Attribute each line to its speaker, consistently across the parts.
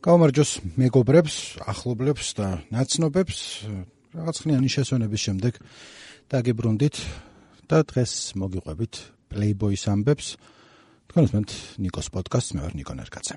Speaker 1: გაუმარჯოს მეგობრებს, ახლობლებს და ნაცნობებს, რაღაცნაირი შესვენების შემდეგ დაგიბრუნდით და დღეს მოგიყვებით Playboy-ის ამბებს. თქვენ უსმენთ ნიკოს პოდკასტს, მე ვარ ნიკო ნერკაცე.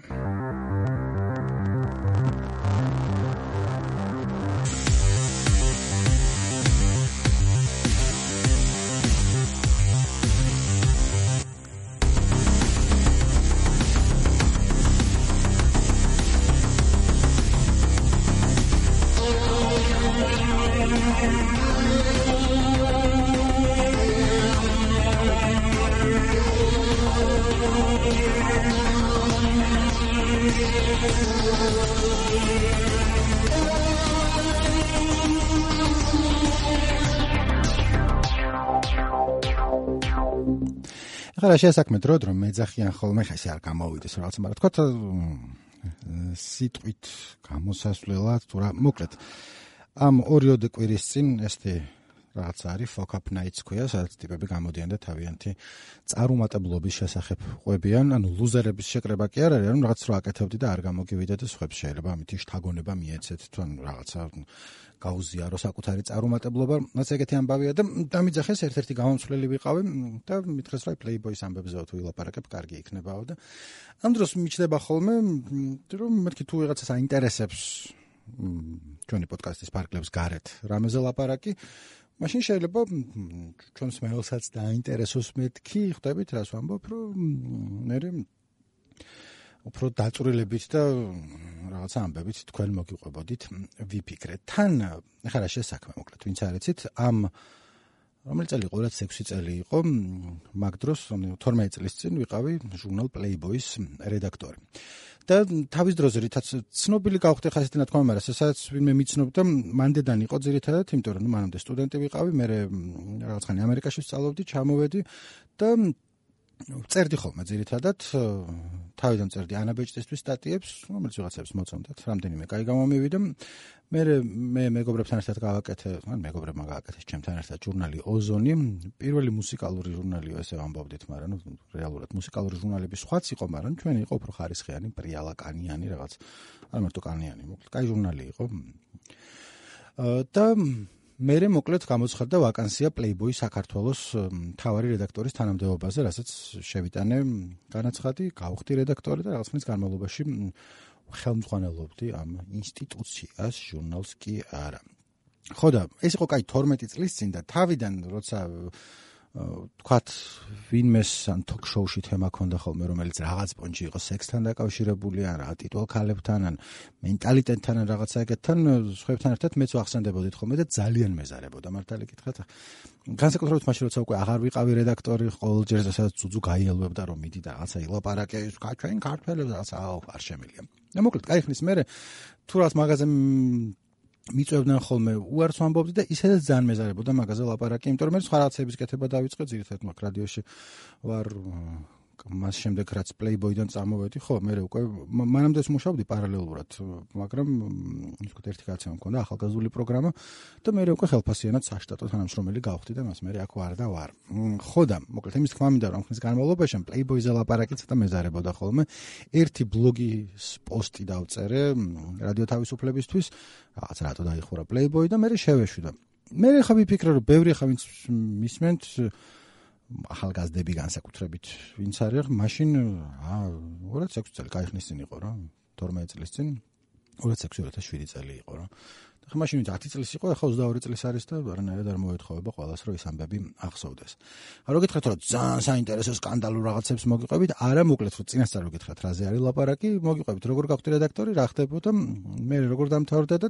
Speaker 1: ახლა შესაქმე დროდ რომ მეძახიან ხოლმე ხა ესე არ გამოვიდეს რაღაცა, მაგრამ თქვა სიტყვით გამოსასვლელად თუ რა, მოკლედ ამ 2 კვირის წინ ესეთი რაღაც არის Fuck Up Nights ქვია, სადაც ტიპები გამოდიან და თავიანთი წარუმატებლობის შესახებ ყვებიან, ანუ ლუზერების შეკრება კი არ არის, ანუ რაღაც რო აკეთებდი და არ გამოგივიდეთ და სხვებს შეიძლება ამითი შთაგონება მიეცეთ თუ ანუ რაღაცა გაუზიარო საკუთარი წარუმატებლობა, რაც ეგეთი ამბავია და დამიძახეს ერთ-ერთი გამომცვლელი ვიყავი და მითხრეს რომ Playboy-ის ამბებზეო თუ ვილაპარაკებ, კარგი იქნებაო და ამ დროს მიჩნდება ხოლმე რომ მეთქი თუ ვიღაცას აინტერესებს ჩვენი პოდკასტის პარკლებს გარეთ რამეზე ლაპარაკი, მაშინ შეიძლება ჩვენს მეელსაც დაინტერესოს მეთქი, ხვდებით რას ვამბობ, რომ მე უფრო დაწვრილებით და რაღაცა ამბებით თქვენ მოგიყვებოდით ვიფიქრეთ. თან ახლა რა შესაქმე მოკლედ, ვინც არ იცით, ამ რომელი წელი იყო, 2006 წელი იყო, მაგ დროს 12 წლის წინ ვიყავი ჟურნალ Playboy-ის რედაქტორი. და თავის დროზე რითაც ცნობილი გავხდი ხა ესეთი ნათქვამი, მაგრამ სადაც ვინმე მიცნობდა, მანდედან იყო ძირითადად, იმიტომ რომ მანამდე სტუდენტი ვიყავი, მე რაღაცხანი ამერიკაში ვსწავლობდი, ჩამოვედი და წერდი ხოლმე ძირითადად, თავიდან წერდი ანაბეჭდისთვის სტატიებს, რომელიც ვიღაცებს მოწონდათ, რამდენიმე კაი გამომივიდა. მე მეგობრებთან ერთად გავაკეთე, ან მეგობრებმა გააკეთეს ჩემთან ერთად ჟურნალი ოზონი, პირველი მუსიკალური ჟურნალიო, ესე ვამბობდით, მაგრამ რეალურად მუსიკალური ჟურნალები სხვაც იყო, მაგრამ ჩვენი იყო უფრო ხარისხიანი, პრიალა კანიანი რაღაც, არ მარტო კანიანი, მოკლედ კაი ჟურნალი იყო. და მერე მოკლედ გამოცხადდა ვაკანსია Playboy საქართველოს მთავარი რედაქტორის თანამდებობაზე, რასაც შევიტანე განაცხადი, გავხდი რედაქტორი და რაღაც ხნის განმავლობაში ხელმძღვანელობდი ამ ინსტიტუციას, ჟურნალს კი არა. ხო და ეს იყო კაი 12 წლის წინ და თავიდან როცა თქვათ ვინმეს ან ток-შოუში თემა ქონდა ხოლმე, რომელიც რაღაც პონჩი იყო სექსთან დაკავშირებული, ან რა ტიტულ ქალებთან, ან მენტალიტეტთან, ან რაღაცა ეგეთთან, სხვებთან ერთად მეც ვახსენდებოდით ხოლმე და ძალიან მეზარებოდა, მართალი გითხრათ. განსაკუთრებით მაშინ როცა უკვე აღარ ვიყავი რედაქტორი, ყოველ ჯერ სადაც ძუძუ გაიელვებდა რომ მიდი და რაღაცა ილაპარაკე, ჩვენ ქართველებს რაღაცა არ შემილია. და მოკლედ კაი ხნის მერე თუ რაღაც მაღაზიაზე მიწევდნენ ხოლმე უარს ვამბობდი და ისედაც ძალიან მეზარებოდა მაღაზიაზე ლაპარაკი, იმიტომ რომ მე სხვა რაღაცების კეთება დავიწყე, ძირითადად მაგ რადიოში ვარ, მას შემდეგ რაც Playboy-დან წამოვედი, ხო, მე უკვე მანამდე მუშაობდი პარალელურად, მაგრამ ისე ერთი კაცი მქონდა ახალგაზრდული პროგრამა და მე უკვე ხელფასიანად საშტატო თანამშრომელი გავხდი და მას მე აქ ვარ და ვარ. ხო და მოკლედ იმის თქმა მინდა რომ ხნის განმავლობაში Playboy-ზე ლაპარაკი ცოტა მეზარებოდა ხოლმე. ერთი ბლოგის პოსტი დავწერე რადიო თავისუფლებისთვის, რაღაც რატო დაიხურა Playboy და მე შევეშვი და მე ხა ვიფიქრე რომ ბევრი ხა ვინც მისმენთ ახალგაზრდები განსაკუთრებით ვინც არის, მაშინ 2006 წელი კაი ხნის წინ იყო რა, 12 წლის წინ, 2006-2007 წელი იყო რა. და ხა მაშინ 10 წლის იყო, ახლა 22 წლის არის და არანაირად არ მოეთხოვება ყველას რომ ის ამბები ახსოვდეს. რო გითხრათ რომ ძალიან საინტერესო სკანდალურ რაღაცებს მოგიყვებით, არა მოკლედ რომ წინასწარ რო გითხრათ რაზე არის ლაპარაკი, მოგიყვებით როგორ გავხდი რედაქტორი, რა ხდებოდა, მე როგორ დამთავრდა და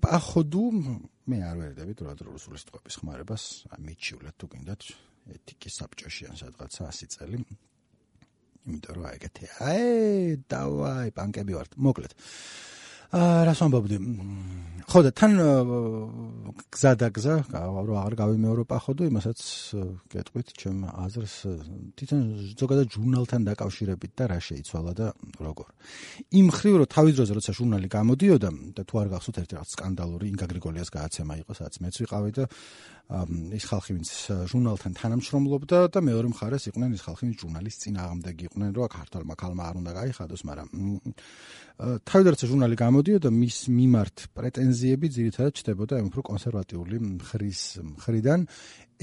Speaker 1: პაходу მე არ ვერდებით რუსული სიტყვების ხმარებას, მიჩივლეთ თუ გინდათ ეთიკის საბჭოში ან სადღაცა 100 წელი. იმიტომ რომ ეგეთი, დავაი, პანკები ვართ. მოკლედ. რას ვამბობდი? ხო და თან გზადაგზა, რომ აღარ გავიმეორო პახოდო, იმასაც გეტყვით ჩემ აზრს, თვითონ ზოგადად ჟურნალთან დაკავშირებით და რა შეიცვალა და როგორ. იმ ხრივ რომ თავის დროზე როცა ჟურნალი გამოდიოდა და თუ არ გახსოვთ ერთი რაღაც სკანდალური ინგა გრიგოლიას გააცემა იყო, სადაც მეც ვიყავი და ის ხალხი ვინც ჟურნალთან თანამშრომლობდა და მეორე მხარეს იყვნენ ის ხალხი ვინც ჟურნალის წინააღმდეგი იყვნენ, რომ ქართულმა ქალმა არ უნდა გაიხადოს, მაგრამ თავიდან როცა ჟურნალი გამოდიოდა მის მიმართ პრეტენზიები ძირითადად ჩდებოდა უფრო კონსერვატიული მხრის მხრიდან.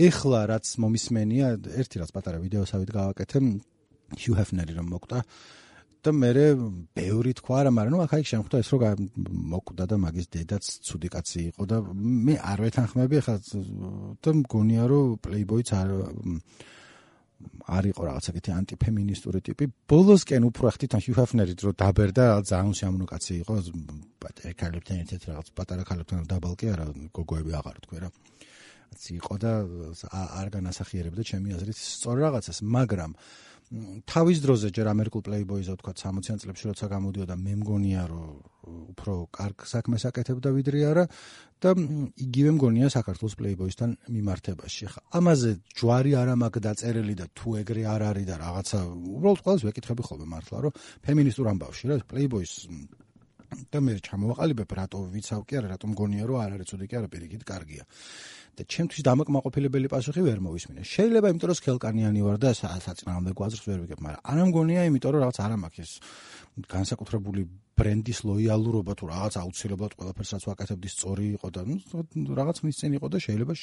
Speaker 1: ეხლა რაც მომისმენია, ერთი რაც პატარა ვიდეოსავით გავაკეთე, Hugh Hefner-ი რომ მოკვდა და მე ბევრი თქვა არა, მაგრამ აქ შემხვდა ეს რომ მოკვდა და მაგის დედაც ცუდი კაცი იყო და მე არ ვეთანხმები ახლა და მგონია რომ Playboy-ც არ იყო რაღაცა კეთი ანტიფემინისტური ტიპი. ბოლოსკენ უფრო ხთიდან Hugh Hefner-ით რომ დაბერდა, ძალიან სიამოვნო კაცი იყო, პატარა ქალებთან ერთად რაღაც პატარა ქალებთან დაბალკი არა, გოგოები აღარ თქვი რა. იყო და არ განასახიერებდა ჩემი აზრით სწორ რაღაცას, მაგრამ თავის დროზე ჯერ ამერიკულ Playboy-ზე ვთქვა 60-იან წლებში როცა გამოდიოდა, მე მგონია რომ უფრო კარგ საქმეს აკეთებდა ვიდრე არა და იგივე მგონია საქართველოს Playboy-სთან მიმართებაში. ხა ამაზე ჯვარი არ მაქვს დაწერილი და თუ ეგრე არ არის და რაღაცა უბრალოდ ყველას ვეკითხები ხოლმე მართლა რომ ფემინისტურ ამბავში რა Playboy-ს და მე ჩამოვაყალიბებ რატო ვიცავ კი არა რატომ მგონია რომ არ არის ცუდი კი არა პირიქით კარგია. და ჩემთვის დამაკმაყოფილებელი პასუხი ვერ მოვისმინე. შეიძლება იმიტომ რომ სქელკანიანი ვარ და საწინააღმდეგო აზრს ვერ ვიგებ, მაგრამ არა მგონია იმიტომ რომ რაღაც არ მაქვს ეს განსაკუთრებული ბრენდის ლოიალურობა თუ რაღაც აუცილებლად ყველაფერს რაც ვაკეთებდი სწორი იყო და რაღაც ხნის წინ იყო და შეიძლება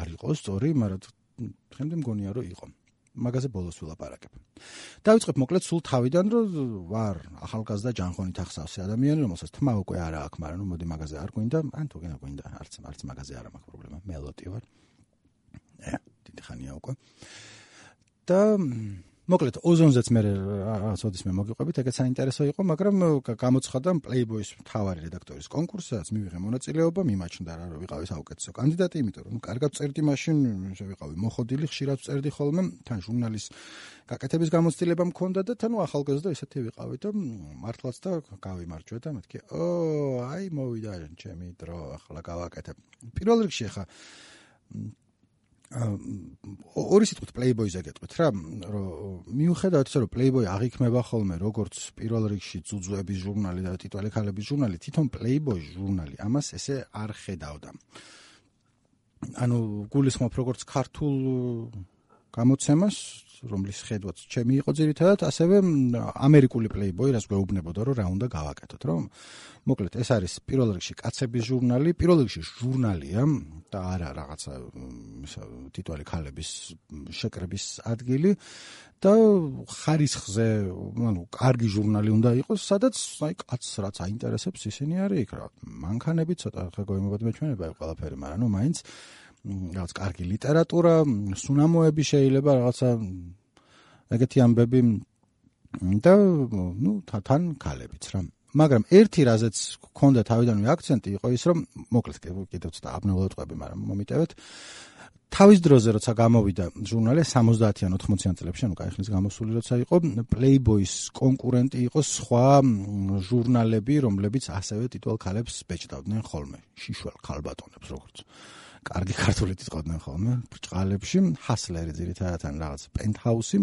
Speaker 1: არ იყოს სწორი, მაგრამ დღემდე მგონია რომ იყო. მაგაზე ბოლოს ვილაპარაკებ. დავიწყებ მოკლედ სულ თავიდან რომ ვარ ახალგაზრდა ჯანხონით ახსავსე ადამიანი, რომელსაც თმა უკვე არა აქვს, მაგრამ მოდი მაგაზე არ გვინდა, ან თუ გვინდა, არც მაგაზე არ მაქვს პრობლემა. მელოტი ვარ. დიდი ხანია უკვე. და მოკლედ ოზონზეც მე რაღაცოდისმე მოგიყვებით, ეგეც საინტერესო იყო, მაგრამ გამოცხადდა Playboy-ის მთავარი რედაქტორის კონკურსი, სადაც მივიღე მონაწილეობა, მიმაჩნდა რა რომ ვიყავი საუკეთესო კანდიდატი, იმიტომ რომ კარგად წერდი მაშინ, შევიყავი მოხოდილი, ხშირად წერდი ხოლმე, თან ჟურნალის გაკეთების გამოცდილება მქონდა და თან ახალგაზრდა ისეთი ვიყავი და მართლაც და გავიმარჯვე და მეთქი, აი მოვიდა ჩემი დრო, ახლა გავაკეთებ. პირველ რიგში ხა ორი სიტყვით Playboy-ზე გეტყვით რა, რომ მიუხედავად ისე რომ Playboy აღიქმება ხოლმე როგორც პირველ რიგში ძუძუების ჟურნალი და ტიტვალი ქალების ჟურნალი, თვითონ Playboy ჟურნალი ამას ესე არ ხედავდა. ანუ გულისხმობ როგორც ქართულ გამოცემას, რომლის ხედვაც ჩემი იყო ძირითადად, ასევე ამერიკული Playboy, რას გვეუბნებოდა რომ რა უნდა გავაკეთოთ, რომ მოკლედ ეს არის პირველ რიგში კაცების ჟურნალი, პირველ რიგში ჟურნალია და არა რაღაცა ტიტვალი ქალების შეკრების ადგილი და ხარისხზე, ანუ კარგი ჟურნალი უნდა იყოს, სადაც აი კაცს რაც აინტერესებს ისინი არის იქ რა. მანქანები ცოტა ხა გოიმობად მეჩვენება ყველაფერი, მაგრამ ნუ მაინც რაღაც კარგი ლიტერატურა, სუნამოები შეიძლება რაღაცა ეგეთი ამბები და ნუ თან ქალებიც რა. მაგრამ ერთი რაზეც გქონდა თავიდანვე აქცენტი იყო ის რომ მოკლედ კიდევ ცოტა აბნეულად ყვები, მაგრამ მომიტევეთ. თავის დროზე როცა გამოვიდა ჟურნალი 70-იან 80-იან წლებში, ანუ კაიხნის გამოსული როცა იყო, Playboy-ის კონკურენტი იყო სხვა ჟურნალები, რომლებიც ასევე ტიტვალ ქალებს ბეჭდავდნენ ხოლმე, შიშველ ქალბატონებს როგორც. კარგი ქართული ტიტყოდნენ ხოლმე ბრჭყალებში, Hustler-ი ძირითადად ან რაღაც Penthouse-ი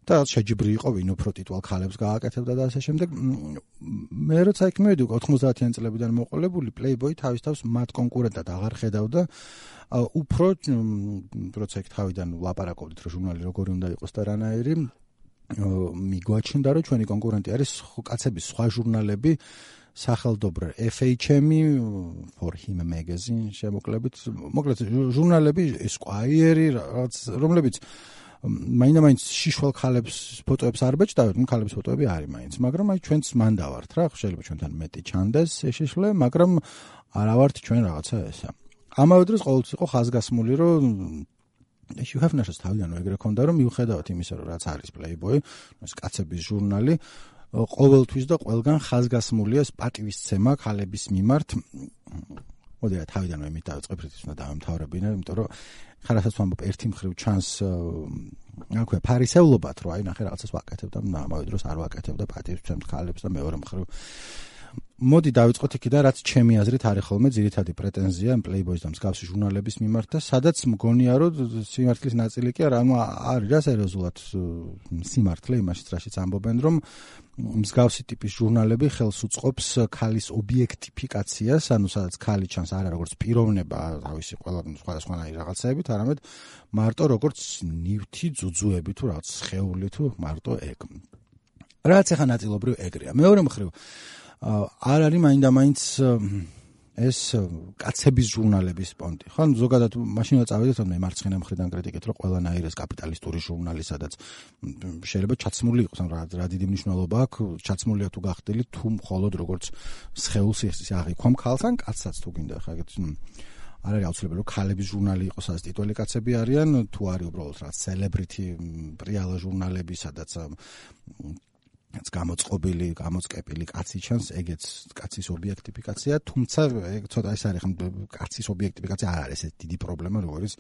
Speaker 1: და შეჯიბრი იყო ვინ უფრო ტიტვალ ქალებს გააკეთებდა და ასე შემდეგ. მე როცა იქ მივედი 90-იან წლებიდან მოყოლებული, Playboy თავის თავს მათ კონკურენტად აღარ ხედავდა. უფრო როცა იქ თავიდან ვლაპარაკობდით რომ ჟურნალი როგორი უნდა იყოს და რანაირი, მიგვაჩნდა რომ ჩვენი კონკურენტი არის კაცების სხვა ჟურნალები, სახელდობრ FHM-ი, For Him Magazine შემოკლებით, მოკლედ ჟურნალები Esquire, რომლებიც მაინც შიშველ ქალებს ფოტოებს არ ბეჭდავენ, ქალების ფოტოები არის მაინც, მაგრამ აი ჩვენც მანდა ვართ რა, შეიძლება ჩვენთან მეტი ჩანდეს შეშლე, მაგრამ არა ვართ ჩვენ რაღაცა ესა. ამავე დროს ყოველთვის იყო ხაზგასმული, რომ Hugh Hefner-ს თავიდან ეგრე ქონდა, რომ მიუხედავად იმისა, რომ რაც არის Playboy, ეს კაცების ჟურნალი, ყოველთვის და ყველგან ხაზგასმულია პატივისცემა ქალების მიმართ. მოდი რა თავიდანვე იმით დავიწყებ, რითიც უნდა დავემთავრებინე, იმიტომ რომ ხა რასაც ვამბობ, ერთი მხრივ ჩანს აქვე ფარისევლობად, რომ აი ნახე რაღაცას ვაკეთებ და ამავე დროს არ ვაკეთებ და პატივისცემთ ქალებს და მეორე მხრივ მოდი დავიწყოთ იქიდან, რაც ჩემი აზრით არის ხოლმე ძირითადი პრეტენზია Playboy-ის და მსგავსი ჟურნალების მიმართ და სადაც მგონია, რომ სიმართლის ნაწილი კი არა, არის რა სერიოზულად სიმართლე იმაშიც, რაშიც ამბობენ, რომ მსგავსი ტიპის ჟურნალები ხელს უწყობს ქალის ობიექტიფიკაციას, ანუ სადაც ქალი ჩანს არა როგორც პიროვნება, თავისი ყველა სხვადასხვანაირი რაღაცებით, არამედ მარტო როგორც ნივთი, ძუძუები თუ რაღაც სხეული თუ მარტო ეგ. რაც ახლა ნაწილობრივ ეგრეა. მეორე მხრივ არ არის მაინდა-მაინც ეს კაცების ჟურნალების პონტი. ხო, ზოგადად მაშინაც წავედით მე მარცხენა მხრიდან კრიტიკით, რომ ყველანაირი ეს კაპიტალისტური ჟურნალი, სადაც შეიძლება ჩაცმული იყოს, რა დიდი მნიშვნელობა აქვს, ჩაცმულია თუ გახდილი, თუ მხოლოდ როგორც სხეულს აღიქვამ ქალს ან კაცსაც თუ გინდა, ხა ეგეთ არ არის აუცილებელი, რომ ქალების ჟურნალი იყოს, სადაც ტიტული კაცები არიან, თუ არის უბრალოდ რა celebrity პრიალა ჟურნალები, სადაც გამოწყობილი, გამოწყებილი კაცი ჩანს, ეგეც კაცის ობიექტიფიკაცია, თუმცა ცოტა ეს არის კაცის ობიექტიფიკაცია არ არის ეს დიდი პრობლემა, როგორც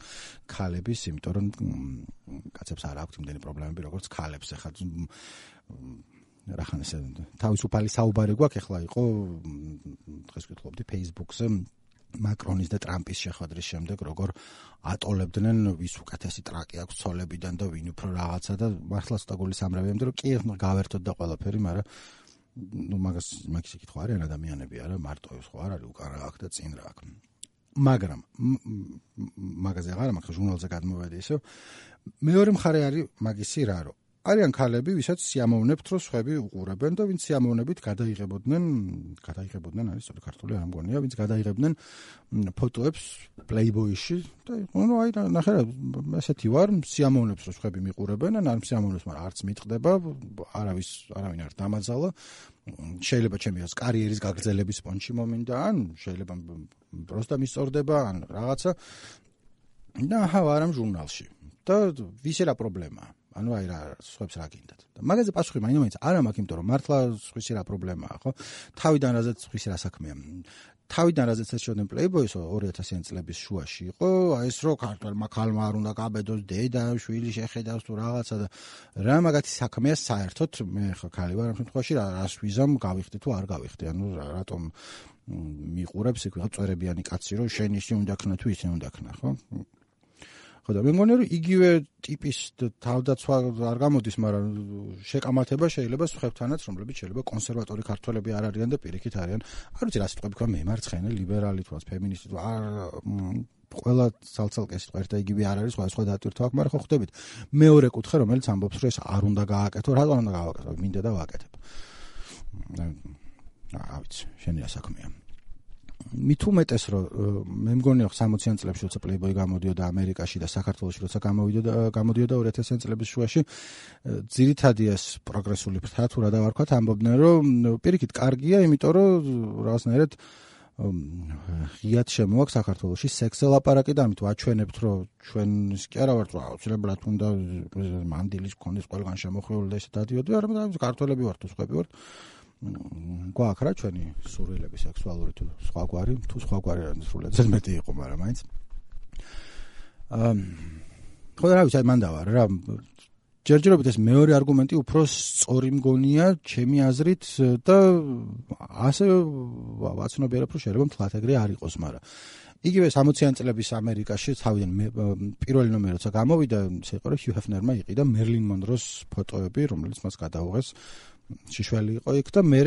Speaker 1: ქალების, იმიტომ რომ კაცებს არ აქვთ იმდენი პრობლემები, როგორც ქალებს. ახლა რახან ესე თავისუფალი საუბარი გვაქვს, ახლა იყო დღეს ვკითხულობდი Facebook-ზე მაკრონის და ტრამპის შეხვედრის შემდეგ, როგორ ატოლებდნენ ვის უკეთესი ტრაკი აქვს ცოლებიდან და ვინ უფრო რაღაცა და მართლა ცოტა გული სამრევიამდე, რომ კი გავერთოთ და ყველაფერი, მაგრამ მაგის კითხვა არის ადამიანები არა, მარტო ის ხო არ არის უკან რა აქვს და წინ რა აქვს. მაგრამ მაგაზე აღარ მაქვს ჟურნალზე გადმოვედი ისე. მეორე მხარე არის მაგისი რა, რომ არიან ქალები, ვისაც სიამოვნებთ, რომ სხვები უყურებენ და ვინც სიამოვნებით გადაიღებოდნენ არის სწორი ქართული არ მგონია, ვინც გადაიღებდნენ ფოტოებს Playboy-ში და აი ნახე რა, ესეთი ვარ, სიამოვნებს რომ სხვები მიყურებენ, ან სიამოვნებს, მაგრამ არც მიტყდება, არავინ არ დამაძალა. შეიძლება ჩემი კარიერის გაგრძელების პონჩი მომინდა, ან შეიძლება პროსტა მისწორდება, ან რაღაცა. და ვარამ ჟურნალში. და ვის რა პრობლემაა? ანუ აი რა სხვებს რა გინდათ. და მაგაზე პასუხი მაინც არა მაქვს, იმიტომ რომ მართლა სხვისი რა პრობლემაა, ხო? თავიდან რაზეც სხვისი რა საქმეა. თავიდან რაზეც ეს შევდნენ Playboy-ს 2000-იანი წლების შუაში იყო, აი ეს რო ქართველმა ქალმა არ უნდა გაბედოს დედა, შვილი შეხედავს თუ რაღაცა და რა მაგათი საქმეა საერთოდ მე ხო ქალი ვარ ამ შემთხვევაში რას ვიზამ გავიხდი თუ არ გავიხდი. ანუ რატომ მიყურებს იქ ვიღაც წვერებიანი კაცი რომ შენ ისე უნდა ქნა თუ ისე უნდა ქნა, ხო? და მე მგონია რომ იგივე ტიპის თავდაცვა არ გამოდის, მაგრამ შეკამათება შეიძლება სხვებთანაც, რომლებიც შეიძლება კონსერვატორი ქართველები არ არიან და პირიქით არიან. არ ვიცი რა სიტყვები თქვა, მე მარცხენა, ლიბერალი თუ ფემინისტი თუ ყველა ცალ-ცალკე სიტყვა ერთ და იგივე არ არის, სხვა დატვირთვა აქვს, მაგრამ ხო ხვდებით. მეორე კუთხე, რომელიც ამბობს, რომ ეს არ უნდა გააკეთო, რატომ უნდა გავაკეთო? მინდა და ვაკეთებ. რა ვიცი, შენი რა საქმეა. მით უმეტეს რომ მე მგონია 60-იან წლებში როცა Playboy გამოდიოდა ამერიკაში და საქართველოში როცა გამოდიოდა 2000-იან წლების შუაში, ძირითადი ეს პროგრესული ფრთა თუ რა დავარქვათ, ამბობდნენ რომ პირიქით კარგია, იმიტომ რომ რაღაცნაირად ღიად შემოაქვს საქართველოში სექსზე ლაპარაკი და ამით ვაჩვენებთ რომ ჩვენს კი არა ვართ აუცილებლად უნდა მანდილის კონდეს ყველგან შემოხვეული და ესე დადიოდი, არამედ ქართველები ვართ თუ სხვები ვართ. გვაქვს რა ჩვენი სურვილები სექსუალური თუ სხვაგვარი სრულიად მეტი იყო, მაგრამ მაინც ხო რა ვიცი, მან დავარ რა ჯერჯერობით ეს მეორე არგუმენტი უფრო სწორი მგონია ჩემი აზრით და ასე ვაცნობიერებ რომ შეიძლება მთლად ეგრე არ იყოს, მაგრამ იგივე 60-იან წლების ამერიკაში თავიდან პირველი ნომერი როცა გამოვიდა, ისე იყო რომ Hugh Hefner-მა იყიდა Marilyn Monroe-ს ფოტოები, რომელიც მას გადაუღეს შიშველი იყო იქ და მე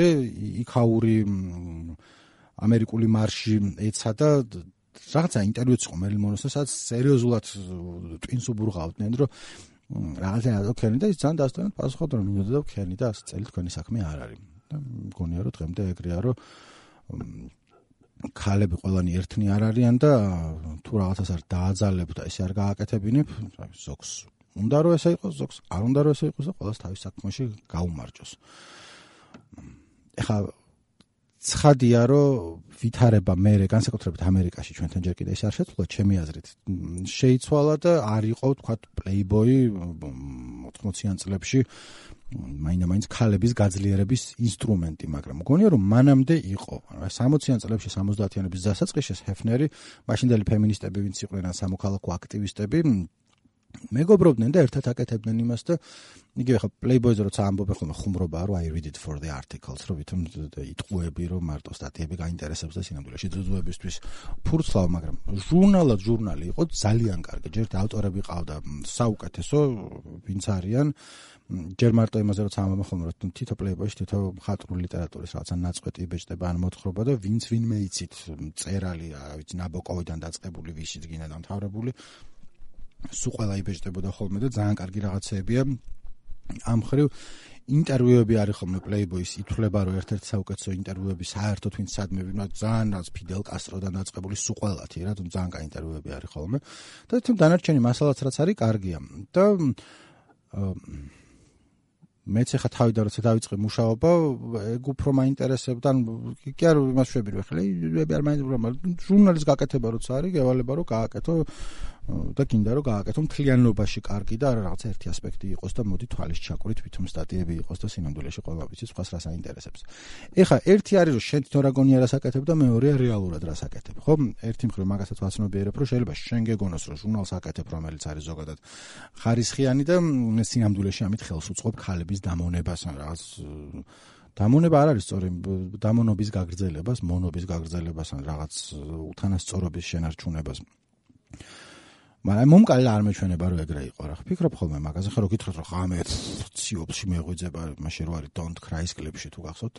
Speaker 1: იქაური ამერიკული მარში ეცადა რაღაცა ინტერვიუც იყო Marilyn Monroe-ს, სადაც სერიოზულად ტვინს უბურღავდნენ, რომ რაღაცა ოკეი და ის ძალიან დასტანად პასუხობდა, რომ მინდოდა და ოკეი და 100 წელი თქვენი საქმე არ არის. და მგონია რომ დღემდე ეგრეა, რომ ქალები ყველანი ერთნი არ არიან და თუ რაღაცას არ დააძალებ და ესე არ გააკეთებინებ, ზოგს უნდა რომ ესე იყოს, ზოგს არ უნდა რომ ესე იყოს და ყველას თავის საქმეში გაუმარჯოს. ეხლა ცხადია რომ ვითარება მე განსაკუთრებით ამერიკაში ჩვენთან ჯერ კიდე ეს არ შეცვლა ჩემი აზრით. შეიცვალა და არ იყო თქვა Playboy 80-იან წლებში მაინც ქალების გაძლიერების ინსტრუმენტი, მაგრამ მგონია რომ მანამდე იყო. 60-იან წლებში 70-იანების დასაწყისში Hefner-ი, მაშინდელი ფემინისტები ვინც იყვნენ, სამოქალაქო აქტივისტები მეგობრობდნენ და ერთად აკეთებდნენ იმას და იგივე ხა Playboy-ზე როცა ამბობენ ხოლმე ხუმრობაა რომ I read it for the articles რომ ვითომ იტყუები რომ მარტო სტატიები გაინტერესებს და სინამდვილეში ძუძუებისთვის ფურცლავ, მაგრამ ჟურნალი იყო ძალიან კარგი. ჯერ ავტორები ყავდა საუკეთესო, ვინც არიან. ჯერ მარტო იმაზე როცა ამბობენ ხოლმე რომ თითო Playboy-ში თითო მხატვრული ლიტერატურის რაღაცა ნაწყვეტი იბეჭდება ან მოთხრობა და ვინც ვინმე იცით წერალი, რა ვიცი, ნაბოკოვიდან დაწყებული, ვისიც გინდა დამთავრებული სულ ყველა იბეჭდებოდა ხოლმე და ძალიან კარგი რაღაცეებია. ამ ხრივ ინტერვიუები არის ხოლმე Playboy-ის ითვლება რომ ერთ-ერთი საუკეთესო ინტერვიუები საერთოდ ვინც სადმე ძალიან რაც Fidel Castro-დან დაწყებული სულ ყველათი რა თუმცა ძალიან კარგი ინტერვიუები არის ხოლმე და თუმცა დანარჩენი მასალაც რაც არის კარგია და მეც ახლა თავიდან როცა დავიწყე მუშაობა ეგ უფრო მაინტერესებდა კი არ იმას შვები რომ ახლა არ მაინტერესებდა ჟურნალის გაკეთება როცა არის გევალება რომ გააკეთო და გინდა რომ გააკეთო მთლიანობაში კარგი და რაღაცა ერთი ასპექტი იყოს და მოდი თვალის ჩაკვრით ვითომ სტატიები იყოს და სინამდვილეში ყველა ვიცი სხვას რას აინტერესებს. ეხლა ერთი არის რომ შენ თვითონ რა გონია რას აკეთებ და მეორეა რეალურად რას აკეთებ. ხო? ერთი მხრივ მაგასაც ვაცნობიერებ რომ შეიძლება შენ გეგონოს რომ ჟურნალს აკეთებ რომელიც არის ზოგადად ხარისხიანი და სინამდვილეში ამით ხელს უწყობ ქალების დამონებას ან რაღაც დამონება არ არის სწორი დამონობის გაგრძელებას, მონობის გაგრძელებას ან რაღაც უთანასწორობის შენარჩუნებას. მაგრამ მომკალი არ მეჩვენება რომ ეგრე იყო რა. ფიქრობ ხოლმე მაგაზე ხარ რომ გითხრათ რომ ხამე ციოპში მეღვიძება მაშინ რო არის Don't Cry-ის კლიპში თუ გახსოვთ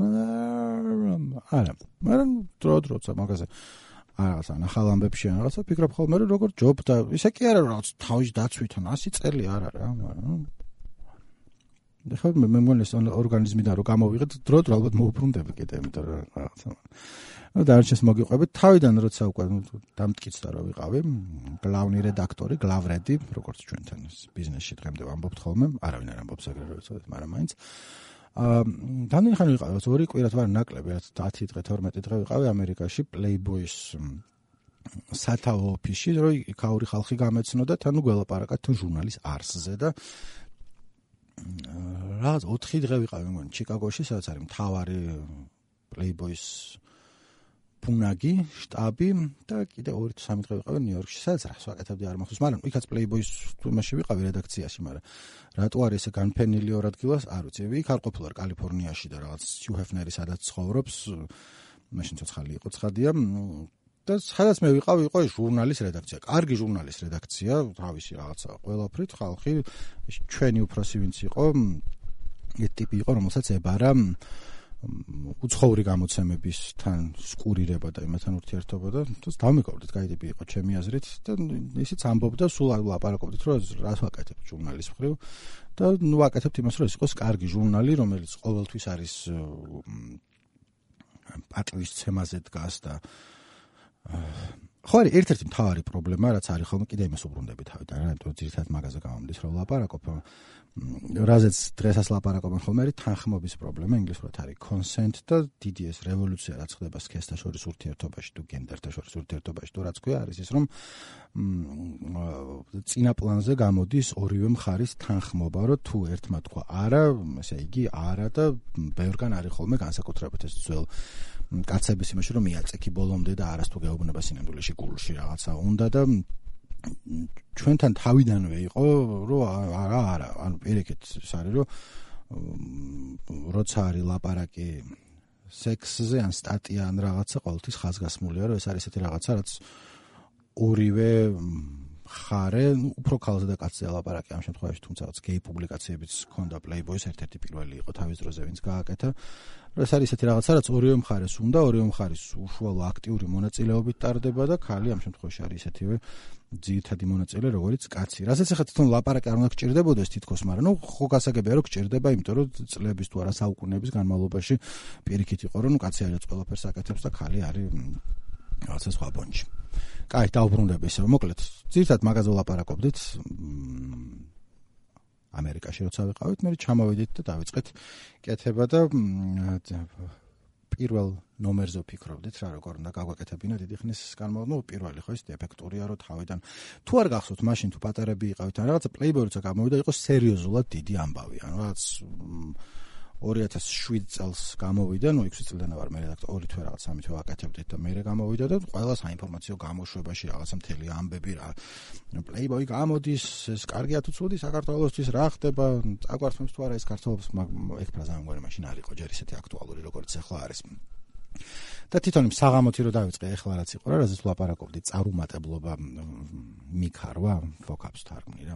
Speaker 1: არა მაგრამ დროცა მაგაზე რაღაცა ნახალ ამბებში ან რაღაცა ფიქრობ ხოლმე რომ როგორ ჯობ და ისე კი არა რომ რაღაც თავის დაცვითონ 100 წელი არ არა მაგრამ ხო მე მგონი ეს ორგანიზმიდან რომ გამოვიღეთ დრო ალბათ მოუბრუნდები კიდე იმიტომ რომ რაღაცა დარჩენს მოგიყვებით თავიდან როცა უკვე დამტკიცდა რომ ვიყავი გლავნი რედაქტორი გლავრედი როგორც ჩვენთან ბიზნესში დღემდე ვამბობთ ხოლმე არავინ არ ამბობს ეგრე რომ ეცოდეთ მაგრამ მაინც დანახან ხანი ვიყავი 2 კვირად ვარ ნაკლები 10 დღე 12 დღე ვიყავი ამერიკაში Playboy-ის სათაო ოფისში რომ იქაური ხალხი გამეცნოდა თან გველაპარაკა თან ჟურნალის არსზე და რაღაც 4 დღე ვიყავი მგონი ჩიკაგოში სადაც არის მთავარი Playboy-ის პუნაგი, შტაბი და კიდე 2-3 დღე ვიყავი ნიუ-იორკში, სადაც რას ვაკეთებდი არ მახსოვს, მაგრამ იქაც Playboy-ის თემაში ვიყავი რედაქციაში, მაგრამ რატო არის ესე განფენილი ორ ადგილას, არ ვიცი, იქ არ ყოფილვარ კალიფორნიაში და რაღაც Hugh Hefner-ი სადაც ცხოვრობს, მაშინ ცოცხალი იყო ცხადია და სადაც მე ვიყავი, იყო ჟურნალის რედაქცია, კარგი ჟურნალის რედაქცია, თავისი რაღაცა ყველაფრით ხალხი, ჩვენი უფროსი ვინც იყო, ეს ტიპი იყო, რომელსაც ებარა უცხოური გამოცემებისთან სკურირება და იმათან ურთიერთობა და დავმეკავდით, კაი ტიპი იყო ჩემი აზრით და ისიც ამბობდა, სულ ლაპარაკობდით, რომ რას ვაკეთებთ ჟურნალის მხრივ და ნუ ვაკეთებთ იმას, რომ ეს იყოს კარგი ჟურნალი, რომელიც ყოველთვის არის პატივისცემაზე დგას და ხო არის ერთ-ერთი მთავარი პრობლემა, რაც არის ხოლმე კიდე იმას უბრუნდები თავიდან, რა, იმიტომ ძირითადად მაგაზე გამომდის, რომ ლაპარაკობ რაზეც დღესაც ლაპარაკობენ ხოლმე არის თანხმობის პრობლემა, ინგლისურად არის consent და დიდი ეს რევოლუცია რაც ხდება სქესთა შორის ურთიერთობაში თუ გენდერთა შორის ურთიერთობაში თუ რაც ქვია არის ის რომ წინა პლანზე გამოდის ორივე მხარის თანხმობა რომ თუ ერთმა თქვა არა, ესე იგი არა და ბევრგან არის ხოლმე განსაკუთრებით ეს ძველ კაცების იმაში რომ მიაწექი ბოლომდე და არასთუ გეუბნება სინამდვილეში გულში რაღაცა უნდა და ჩვენთან თავიდანვე იყო რომ არა ანუ პირიქით ის არის რომ როცა არის ლაპარაკი სექსზე ან სტატია ან რაღაცა ყოველთვის ხაზგასმულია რომ ეს არის ესეთი რაღაცა რაც ორივე ხარე უფრო ქალზე და კაცზე ლაპარაკი ამ შემთხვევაში თუმცა გეი პუბლიკაციებიც ჰქონდა Playboy-ის ერთ-ერთი პირველი იყო თავის დროზე ვინც გააკეთა ეს არის ესეთი რაღაცა რაც ორივე მხარეს უნდა ორივე მხარის უშუალო აქტიური მონაწილეობით ტარდება და ქალი ამ შემთხვევაში არის ესეთივე ძირითადი მონაწილე როგორც კაცი. რასაც ახლა თვითონ ლაპარაკი არ უნდა გჭირდებოდეს თითქოს, მაგრამ ნუ ხო გასაგებია რომ გჭირდება, იმიტომ რომ წლების თუ არა საუკუნეების განმავლობაში პირიქით იყო რომ კაცი არის ყველაფერს აკეთებს და ქალი არის რაღაცა სხვა ბონჩი. კაი, დავბრუნდები ისე მოკლედ. ძირითადად მაგაზე ვლაპარაკობდით. ამერიკაში როცა ვიყავით, მე ჩამოვედით და დავიწყეთ კეთება და პირველ ნომერზე ვფიქრობდით რა როგორ უნდა გავაკეთებინა დიდი ხნის განმავლობაში პირველი ხო ის ეფექტურია რომ თავიდან თუ არ გახსოვთ მაშინ თუ პატარები იყავით ან რაღაცა Playboy-ცა გამოვიდა იყო სერიოზულად დიდი ამბავი ან რაღაც 2007 წელს გამოვიდა, 6 წლიდან ვარ მე რედაქტორი, 2 თვე რაღაც 3 თვე ვაკეთებდით და მე გამოვიდა და ყველა საინფორმაციო გამოშვებაში რაღაცა მთელი ამბები რა. Playboy გამოდის, ეს კარგია თუ ცუდი საქართველოსთვის რა ხდება, წაგვართმევს თუ არა ეს ქართველებს, ეგ ფრაზა მგონი მაშინ არ იყო ჯერ ისეთი აქტუალური როგორც ახლა არის. და თვითონ საღამოთი რო დავიწყე ახლა რაც იყო რა, რაზეც ვლაპარაკობდი, წარუმატებლობა მიქარვა, ფოკაპს თარგმნი რა.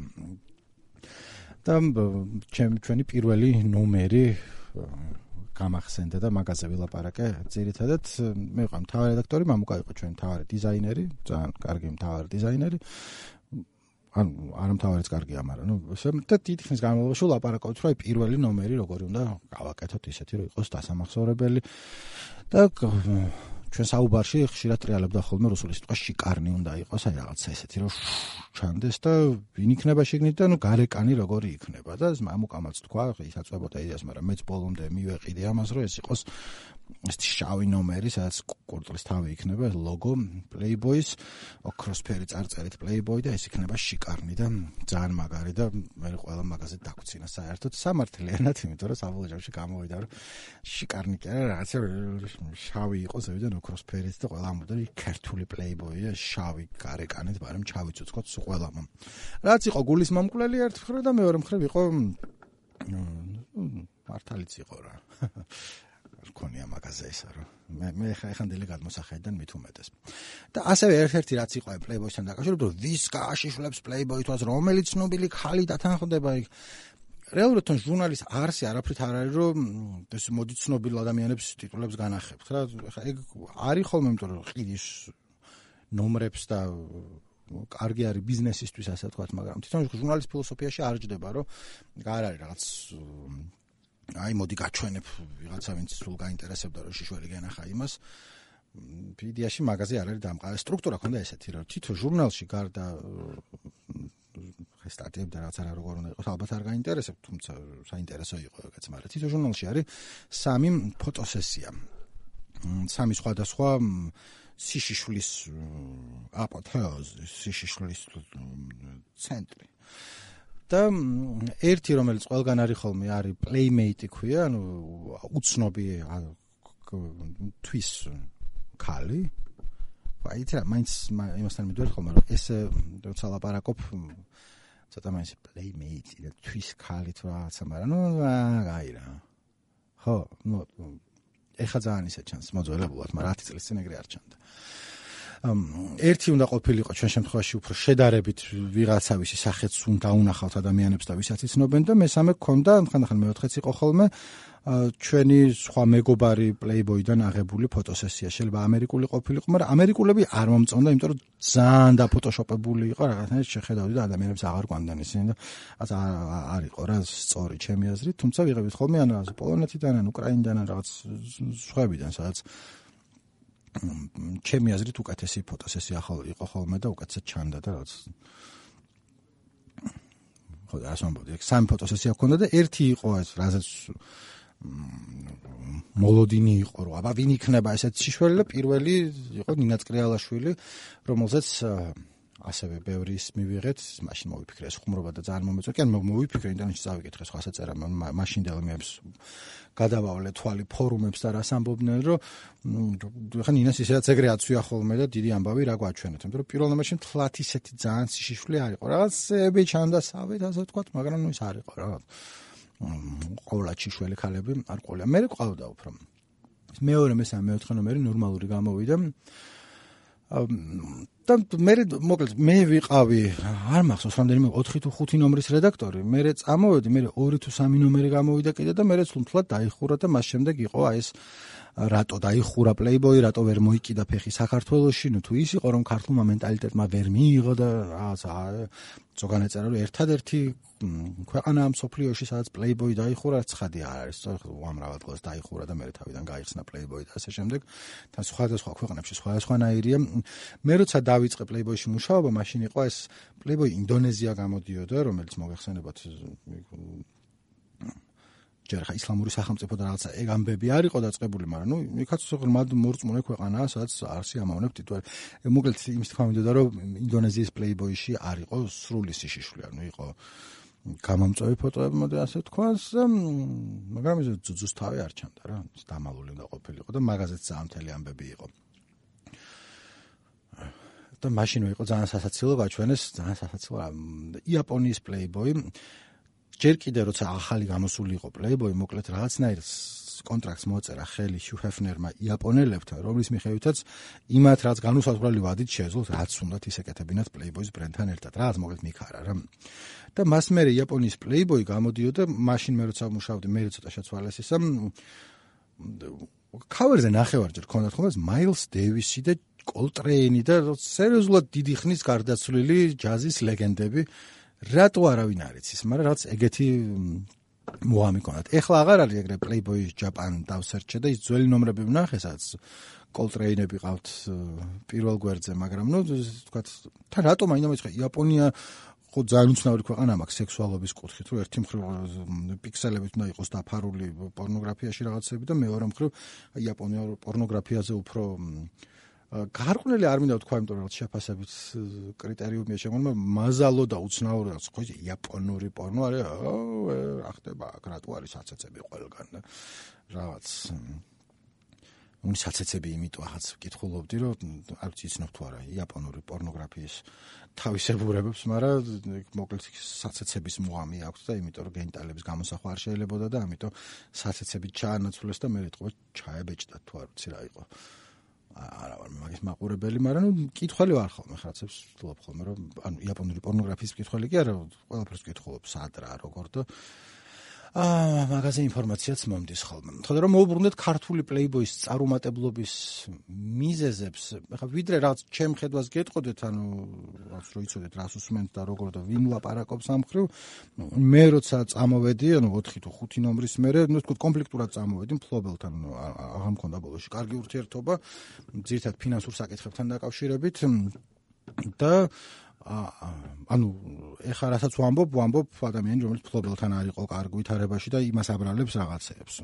Speaker 1: და ჩვენი პირველი ნომერი გამახსენდა და მაგაზე ვილაპარაკე. ძირითადად მე ვიყავ მთავარი რედაქტორი, მამუკა იყო ჩვენი მთავარი დიზაინერი, ძალიან კარგი მთავარი დიზაინერი. ანუ არ მთავარიც კარგია, მაგრამ და დიდი ხნის განმავლობაში ვლაპარაკობთ, რომ პირველი ნომერი როგორი უნდა გავაკეთოთ ისეთი, რომ იყოს დასამახსოვრებელი და ჩვენ საუბარში ხშირად ტრიალებდა ხოლმე რუსული სიტყვა შიკარნი უნდა იყოს, აი რაღაცა ესეთი რომ ჩანდეს და ვინ იქნება შეგნით და გარეკანი როგორი იქნება და მამუკამაც თქვა, ისაც ვებოდა იდეას, მაგრამ მეც ბოლომდე მივეყიდე ამას, რომ ეს იყოს ეს შავი ნომერი, სადაც კურდღლის თავი იქნება, ლოგო Playboy-ს, ოქროსფერი წარწერით Playboy და ეს იქნება შიკარნი და ძალიან მაგარი და მე ყველა მაგაზე დაგვცინა საერთოდ სამართლიანად, იმიტომ რომ საბოლოო ჯამში გამოვიდა, რომ შიკარნი კი არა, რაღაცა შავი იყო ზევიდან ოქროსფერით და ყველა ამბობდა ქართული Playboy-ია, შავი გარეკანით, მაგრამ ჩავიწუწქოთ სულ ყველამ. რაც იყო გულის მომკვლელი ერთ მხრივ და მეორე მხრივ იყო მართალიც იყო რა. ქონია მაგაზე ესა რომ მე ხანდელი გადმოსახედიდან მით უმეტეს. და ასევე ერთ-ერთი რაც იყო Playboy-სთან დაკავშირებით, რომ ვის გააშიშვლებს Playboy-თვას, რომელი ცნობილი ხალი დათანხმდება იქ. რეალურად თან ჟურნალის არსი არაფრით არ არის, რომ ეს მოდი ცნობილ ადამიანებს ტიტულებს განახებთ რა. ეგ არის ხოლმე, იმიტომ რომ ყიდის ნომრებს და კარგი არის ბიზნესისთვის, ასე ვთქვათ, მაგრამ თვითონ ჟურნალის ფილოსოფიაში არ ჯდება, რომ არ არის რაღაც აი მოდი გაჩვენებ ვიღაცა ვინც სულ გაინტერესებდა რომ შიშველი გენახა იმას. ვიდეოში მაგაზე არ არის დამყარი სტრუქტურა ქონდა ესეთი რომ თვითონ ჟურნალში გარდა სტატიები და რაღაც როგორ უნდა იყოს ალბათ არ გაინტერესებთ, თუმცა საინტერესო იყო ეგეც, მაგრამ თვითონ ჟურნალში არის 3 ფოტოსესია. 3 სხვადასხვა სიშიშვლის აპოთეოზი, სიშიშვლის ცენტრი. და ერთი რომელიც ყველგან არის ხოლმე არის Playmate ქვია, ანუ უცნობი თვის ქალი. აი რა მაინც იმასთან მიდვარ ხოლმე რომ ეს როცა ლაპარაკობ ცოტა მაინც Playmate და თვის ქალი თუ რაღაცა, მაგრამ ნუ აი რა. ხო, ნუ ეხა ძალიან ისე ჩანს მოძველებულად, მაგრამ 10 წლის წინ ეგრე არ ჩანდა. ერთი უნდა ყოფილიყო ჩვენ შემთხვევაში უფრო შედარებით ვიღაცავისი სახეც უნდა უნახავთ ადამიანებს და ვისაც იცნობენ და მესამე გქონდა ხანდახან მეოთხეც იყო ხოლმე ჩვენი სხვა მეგობარი Playboy-დან აღებული ფოტოსესია. შეიძლება ამერიკული ყოფილიყო, მაგრამ ამერიკულები არ მომწონდა, იმიტომ რომ ძალიან დაფოტოშოპებული იყო, რაღაცნაირად შეხედავდი და ადამიანებს აღარ ყვანდნენ ისინი და არ იყო რა სწორი ჩემი აზრით, თუმცა ვიღებთ ხოლმე ან რაღაც პოლონეთიდან, ან უკრაინიდან, ან რაღაც სხვებიდან, სადაც ჩემი აზრით უკეთესი ფოტოსესია იყო ხოლმე და უკეთესად ჩანდა და რაღაც ხო და ასე ამბობდი, 3 ფოტოსესია ჰქონდა და ერთი იყო ეს რაზეც მოლოდინი იყო რომ აბა ვინ იქნება ესეთ შიშველი და პირველი იყო ნინა წკრიალაშვილი, რომელზეც ასევე ბევრი ის მივიღეთ, მაშინ მოვიფიქრე ეს ხუმრობა და ძალიან მომეწონა. კი ან მოვიფიქრე ინტერნეტში წავიკითხე სხვა საწერა, მაშინდელ მეებს გადავავლე თვალი ფორუმებს და რას ამბობდნენ, რომ ხა ნინას ისედაც ეგრე აცვია ხოლმე და დიდი ამბავი რა გვაჩვენეთ, იმიტომ რომ პირველ ნომერში თლათ ისეთი ძალიან სიშიშველი არ იყო. რაღაცები ჩანდა სავით, ასე ვთქვათ, მაგრამ ნუ ის არ იყო რა. ყოვლად შიშველი ქალები არ ყოლია. მე ყავდა უფრო. მეორე, მესამე, მეოთხე ნომერი ნორმალური გამოვიდა. და მე ვიყავი, არ მახსოვს რამდენიმე 4 თუ 5 ნომრის რედაქტორი, მე წამოვედი, მე 2 თუ 3 ნომერი გამოვიდა კიდე და მე თლად დაიხურა და მას შემდეგ იყო აი ეს რატო დაიხურა Playboy, რატო ვერ მოიკიდა ფეხი საქართველოში, ნუ თუ ის იყო რომ ქართულმა მენტალიტეტმა ვერ მიიღო და რაღაცა ზოგან ეწერა რომ ერთადერთი ქვეყანაა მსოფლიოში სადაც Playboy დაიხურა, ცხადი არ არის, უამრავად დღეს დაიხურა და მე თავიდან გაიხსნა Playboy და ასე შემდეგ. თან სხვადასხვა ქვეყნებში სხვადასხვანაირია. მე როცა დავიწყე Playboy-ში მუშაობა, მაშინ იყო ეს Playboy ინდონეზია გამოდიოდა, რომელიც მოგეხსენებათ ჯერ ხა ისლამური სახელმწიფო და რაღაცა ეგ ამბები არ იყო დაწყებული, მაგრამ ნუ იქაც ღრმად მორწმუნე ქვეყანაა, სადაც არსი ამავნებ ტიტული. მოკლედ იმის თქმა მინდოდა, რომ ინდონეზიის Playboy-ში არ იყო სრული სიშიშველი, ანუ იყო გამომწვევი ფოტოები მოდი ასე თქვას, მაგრამ ეს ძუძუს თავი არ ჩანდა რა, დამალული უნდა ყოფილიყო და მაგაზეც ძალიან ამბები იყო. და მაშინვე იყო ძალიან სასაცილო გაჩვენეს, ძალიან სასაცილო იაპონიის Playboy. ჯერ კიდე როცა ახალი გამოსული იყო Playboy, მოკლედ რაღაცნაირ კონტრაქტს მოწერა ხელი Hugh Hefner-მა იაპონელებთან, რომლის მიხედვითაც იმათ რაც განუსაზღვრელი ვადით შეეძლოთ, რაც უნდათ ის ეკეთებინათ Playboy-ის ბრენდთან ერთად. რაღაც მოკლედ მიქარა რა. და მას მერე იაპონიის Playboy გამოდიოდა, მაშინ მე როცა მუშაობდი, მე ცოტა შეცვალეს ისა. ქავერზე ნახევარჯერ ქონდათ ხოლმე Miles Davis-ი და Coltrane და სერიოზულად დიდი ხნის გარდაცვლილი ჯაზის ლეგენდები. რატო არავინ არ იცის, მაგრამ რაც ეგეთი მოამი ქონდათ. ეხლა აღარ არის ეგრე Playboy Japan დავსერჩე და ის ძველი ნომრები ვნახე, სადაც Coltrane-ები ყავთ პირველ გვერდზე, მაგრამ ნუ თქვათ, თან რატომ აინდა მეცხრე იაპონია ხო ძალიან უცნაური ქვეყანა მაქვს სექსუალობის კუთხით, რომ ერთი მხრივ პიქსელებით უნდა იყოს დაფარული პორნოგრაფიაში რაღაცები და მეორე მხრივ იაპონია პორნოგრაფიაზე უფრო გარყვნილი არ მინდა თქვა, იმიტომ რომ შეფასებით კრიტერიუმია შემოგვიყვება, მაზალო და უცნაური რაც ხო იაპონური პორნო არის, რა ხდება აქ, რატო არის საცეცები ყველგან და რაღაც საცეცები იმიტომ ახაც ვკითხულობდი, რომ არ ვიცი იცნობ თუ არა იაპონური პორნოგრაფიის თავისებურებებს, მაგრამ მოკლედ საცეცების მოამი აქვს და იმიტომ რომ გენიტალების გამოსახვა არ შეიძლებოდა და ამიტომ საცეცები ჩაანაცვლეს და მე ეთქობა ჩაებეჭდა თუ არ ვიცი რა იყო. არა ვარ მაგის მაყურებელი, მაგრამ ნუ კითხველი ვარ ხოლმე, ხაცებს ვთვლობ ხოლმე, რომ ანუ იაპონური პორნოგრაფიის კითხველი კი არა, ყველაფერს ვკითხულობ, სად რა, როგორ და მაგაზე ინფორმაციაც მომდის ხოლმე. ხოდა რომ მოვუბრუნდეთ ქართული Playboy-ის წარუმატებლობის მიზეზებს, ახლა ვიდრე რაღაც ჩემ ხედვას გეტყოდეთ, ანუ რაღაც რო იცოდეთ რას უსმენთ და როგორ და ვინ ლაპარაკობს ამ მხრივ, მე როცა წამოვედი, ანუ 4 თუ 5 ნომრის მერე, ნუ თქო კომპლექტურად წამოვედი მფლობელთან, აღარ მქონდა ბოლოში კარგი ურთიერთობა, ძირითადად ფინანსურ საკითხებთან დაკავშირებით და ანუ ეხლა რასაც ვამბობ ადამიანი, რომელიც ფლობელთან არ იყო კარგ ვითარებაში და იმას აბრალებს რაღაცეებს.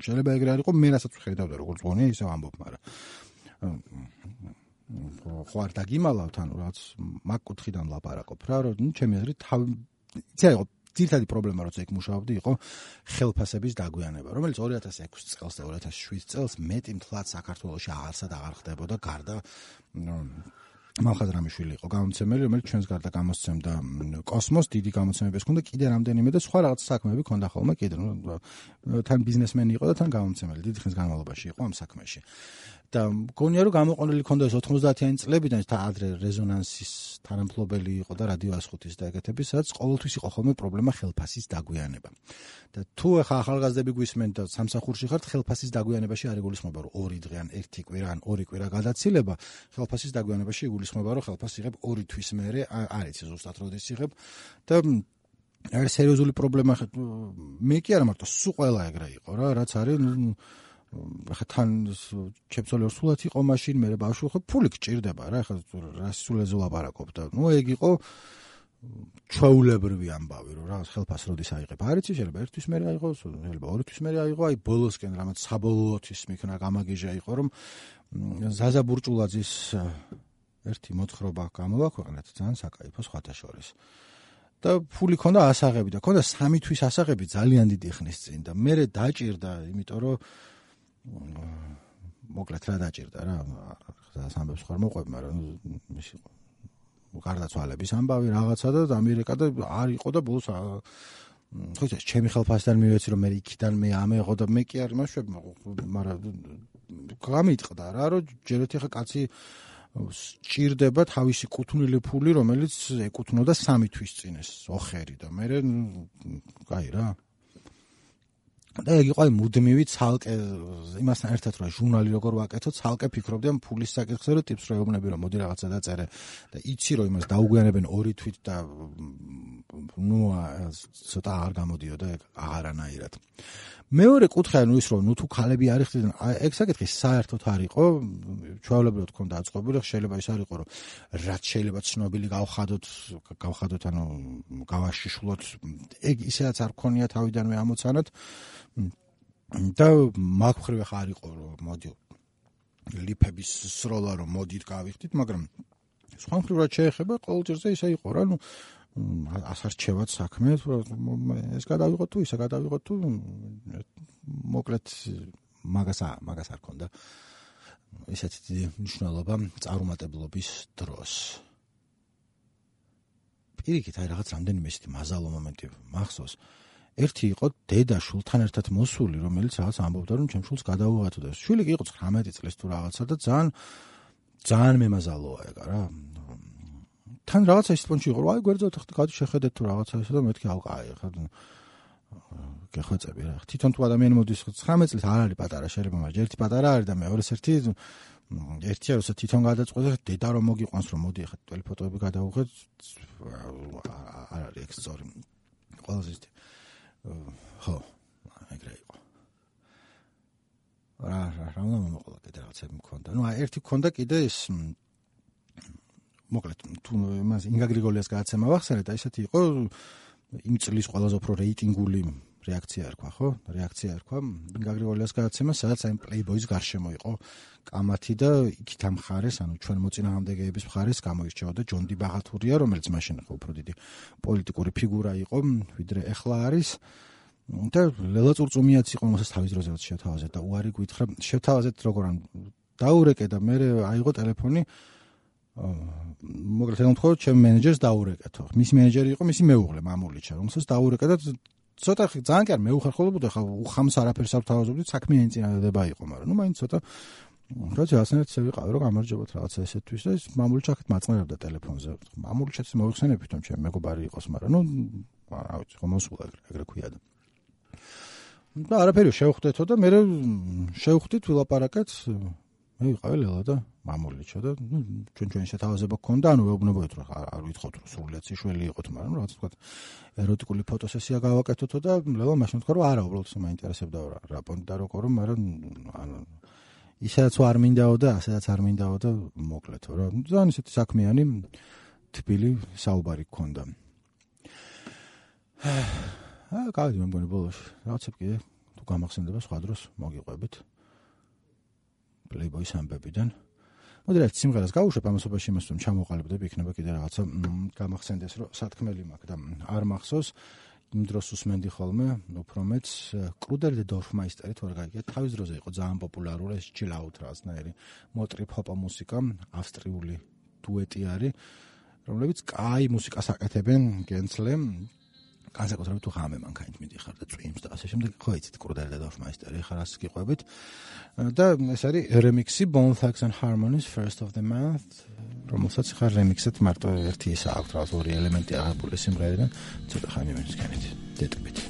Speaker 1: შეიძლება ეგრე არ იყო, მე რასაც ვხედავდა როგორც გონია, ისე ვამბობ, მაგრამ ხო არ დაგიმალავთ, ანუ რაც მაგ კუთხიდან ლაპარაკობ რა, რომ ჩემი აზრით იცი იყო ძირითადი პრობლემა, როცა იქ მუშაობდი, იყო ხელფასების დაგვიანება, რომელიც 2006 წელს და 2007 წელს მეტი მთლად საქართველოში აღარსად აღარ ხდებოდა, გარდა მალხაზრამიშვილი იყო გამომცემელი, რომელიც ჩვენს გარდა გამოსცემდა კოსმოს, დიდი გამოცემები ჰქონდა, კიდე რამდენიმე და სხვა რაღაც საქმეები ჰქონდა ხოლმე, კიდე თან ბიზნესმენი იყო და თან გამომცემელი, დიდი ხნის განმავლობაში იყო ამ საქმეში. და მგონია რომ გამოყენილი ჰქონდა 90-იანი წლებიდან და ადრე რეზონანსის თანამფლობელი იყო და რადიო 105-ის და ეგეთების, სადაც ყოველთვის იყო ხოლმე პრობლემა ხელფასის დაგვიანება. და თუ ახლა ახალგაზრდები გვისმენთ და სამსახურში ხართ, ხელფასის დაგვიანებაში არ იგულისხმება რომ 2 დღე ან 1 კვირა ან 2 კვირა გადაცილება, ხელფასის დაგვიანებაში იგულისხმება რომ ხელფასი იღებ 2 თვის მერე, არ იცი ზუსტად როდის იღებ და არის სერიოზული პრობლემა. მე კი არა მარტო სულ ყველა ეგრე იყო რა, რაც არის ახლა თან ჩემწოლი სულად იყო მაშინ, მე ბავშვი ხო ფული გჭირდება რა, ახლა რა სულეზე ლაპარაკობ და ნუ ეგ იყო ჩვეულებრივი ამბავი, რომ რა ხელფას როდის აიღებ. არ იცი, შეიძლება 1 თვის მერე აიღო, შეიძლება 2 თვის მერე აიღო, აი ბოლოსკენ რამაც საბოლოოთვის მიქნა გამაგიჟა იყო, რომ ზაზა ბურჭულაძის ერთი მოთხრობა გამოვაქვეყნეთ, ძალიან საკაიფო სხვათა შორის. და ფული ქონდა ასაღები და ქონდა 3 თვის ასაღები ძალიან დიდი ხნის წინ და მე დაჭირდა, იმიტომ რომ მოკლედ რა დაჭირდა რა, ამბებს ხარ მოყვები, მაგრამ ის იყო გარდაცვალების ამბავი რაღაცა და ამერიკა და არ იყო და ბოლოს ხო იცი, ჩემი ხელფასთან მივეცი რომ მე იქიდან მე ამეღო და მე კი არ იმაშვები, მაგრამ გამიტყდა რა, რომ ჯერეთ ხა კაცი სჭირდება თავისი კუთვნილი ფული, რომელიც ეკუთვნოდა 3 თვის წინ ეს ოხერი და მე კაი რა. და ეგ იყო მუდმივი ცალკე იმასთან ერთად რა ჟურნალი როგორ ვაკეთო, ცალკე ფიქრობდი ამ ფულის საკითხზე, რომ ტიპს როებნები რომ მოდი რაღაცა დაწერე და იცი რომ იმას დაუგვიანებენ 2 თვით და ნუ ცოტა არ გამოდიოდა ეგ აღარანაირად. მეორე კუთხე ანუ ის რომ ნუ თუ ქალები არ იხდიდნენ, ეგ საკითხი საერთოდ არ იყო, ჩვეულებრივად ქონდა აწყობილი, შეიძლება ის არ იყო რომ რაც შეიძლება ცნობილი გავხადოთ, ანუ გავაშიშვლოთ, ეგ ისედაც არ ქონია თავიდანვე ამოცანად და მაგ მხრივ ხარ იყო რომ მოდი ლიფების სროლა რომ მოდით გავიხდით, მაგრამ სხვა მხრივ რაც შეეხება ყოველ ჯერზე ისე იყო რა, ნუ ასარჩევად საქმე, ეს გადავიღოთ თუ ისე გადავიღოთ თუ მოკლედ მაგას არ ქონდა ისეთი დიდი მნიშვნელობა წარუმატებლობის დროს. პირიქით აი რაღაც რამდენიმე ისეთი მაზალო მომენტი მახსოვს. ერთი იყო დედა შულთან ერთად მოსული, რომელიც რაღაც ამბობდა, რომ ჩემ შულს გადავუღათო და შვილი კი იყო 19 წლის თუ რაღაცა და ძალიან მემაზალოა ეგ რა. თან რაღაცა ის პონჩი იყო, აი გვერდზე ხდი შეხედეთ თუ რაღაცა ისე და მეთქი ალყაი ხა გეხვეწები რა. თვითონ თუ ადამიანი მოდის 19 წლის არ არის პატარა, შეიძლება მაგრამ ერთი პატარა არის და მეორეს ერთი როცა თვითონ გადაწყვეტე დედა რომ მოგიყვანს რომ მოდი ხა ტელი ფოტოები გადავუღეთ არ არის ეგ სწორი. ყველაზე ისეთი ხო, ეგრე იყო. რა უნდა მომყოლა კიდე რაღაცები მქონდა. ნუ ერთი მქონდა კიდე ეს მოკლედ თუ მას ინგა გრიგოლიას გადაცემა ვახსენე და ისეთი იყო იმ წლის ყველაზე უფრო რეიტინგული რეაქცია ერქვა, ხო? რეაქცია ერქვა ინგა გრიგოლიას გადაცემა, სადაც აი პლეიბოის გარშემო იყო კამათი და იქით ამ მხარეს, ანუ ჩვენ მოწინააღმდეგეების მხარეს გამოირჩეოდა ჯონ დი ბაღათურია, რომელიც მაშინ ხო უფრო დიდი პოლიტიკური ფიგურა იყო, ვიდრე ეხლა არის. და ლელა წურწუმიაც იყო რომელსაც თავის დროზე შევთავაზეთ და უარი გითხრა შევთავაზეთ როგორ ან დაურეკე და მე აიღო ტელეფონი მოკლედ რომ თქვა ჩემ მენეჯერს დაურეკეთო. მისი მენეჯერი იყო მისი მეუღლე მამულიჩა, რომელსაც დაურეკე და ცოტა ძალიან კი არ მეუხერხულებოდა ხა უხამს არაფერს არ თავაზობდი, საქმიანი წინადადება იყო, მაგრამ ნუ მაინც ცოტა როცა ასენად შევიყავი რომ გამარჯობოთ რაღაცა ესეთთვის და ეს მამულიჩა ხეთ მაწყნებდა ტელეფონზე. მამულიჩაც მოიხსენებთ რომ ჩემი მეგობარი იყოს, მაგრამ ნუ რა ვიცი, ხომ მოსულა ეგრე ქვია და და არაფერი შევხვდეთო და მე შევხვდით ვილაპარაკეთ მე ვიყავი ლელა და მამულიჩა და ნუ ჩვენ შეთავაზება გქონდა ანუ ვეუბნებოდით რომ არ ვითხოვთ რომ სრულიად ციშველი იყოთ მაგრამ რაღაც თქვა ეროტიკული ფოტოსესია გავაკეთოთო და ლელა მაშინ თქვა რომ არა უბრალოდ მაინტერესებდა რა პონტი და როგორ მაგრამ ანუ ისედაც არ მინდაო და ასედაც არ მინდაო და მოკლედო რა ძალიან ისეთი საქმიანი თბილი საუბარი გქონდა გავიდი მე მგონი ბოლოს რაღაცა კიდე თუ გამახსენდება სხვა დროს მოგიყვებით პლეიბოის ამბებიდან მოდი რა სიმღერას გავუშვებ ამასობაში იმას რომ ჩამოყალიბდები იქნება კიდე რაღაცა გამახსენდეს რომ სათქმელი მაქვს და არ მახსოვს იმ დროს უსმენდი ხოლმე უფრო მეც კრუდერ და დორფმაისტერი თუ არ გაიგეთ თავის დროზე იყო ძალიან პოპულარული ეს chill out რაღაცნაირი მოტრიფ ჰოპ მუსიკა ავსტრიული დუეტი არის რომლებიც კაი მუსიკას აკეთებენ გენცლე განსაკუთრებით თუ ხამე მანქანით მიდიხარ და წვიმს და ასე შემდეგ ხო იცით კრუდერ და დორფმაისტერი ხარ ასე გიყვებით და ეს არის რემიქსი Bone Thugs and Harmonies First of the Month რომელსაც ხარ რემიქსად მარტო ერთი ისა აქვს რაღაც ორი ელემენტი აღებული სიმღერიდან ცოტა ხანი მისგანით დეტყვით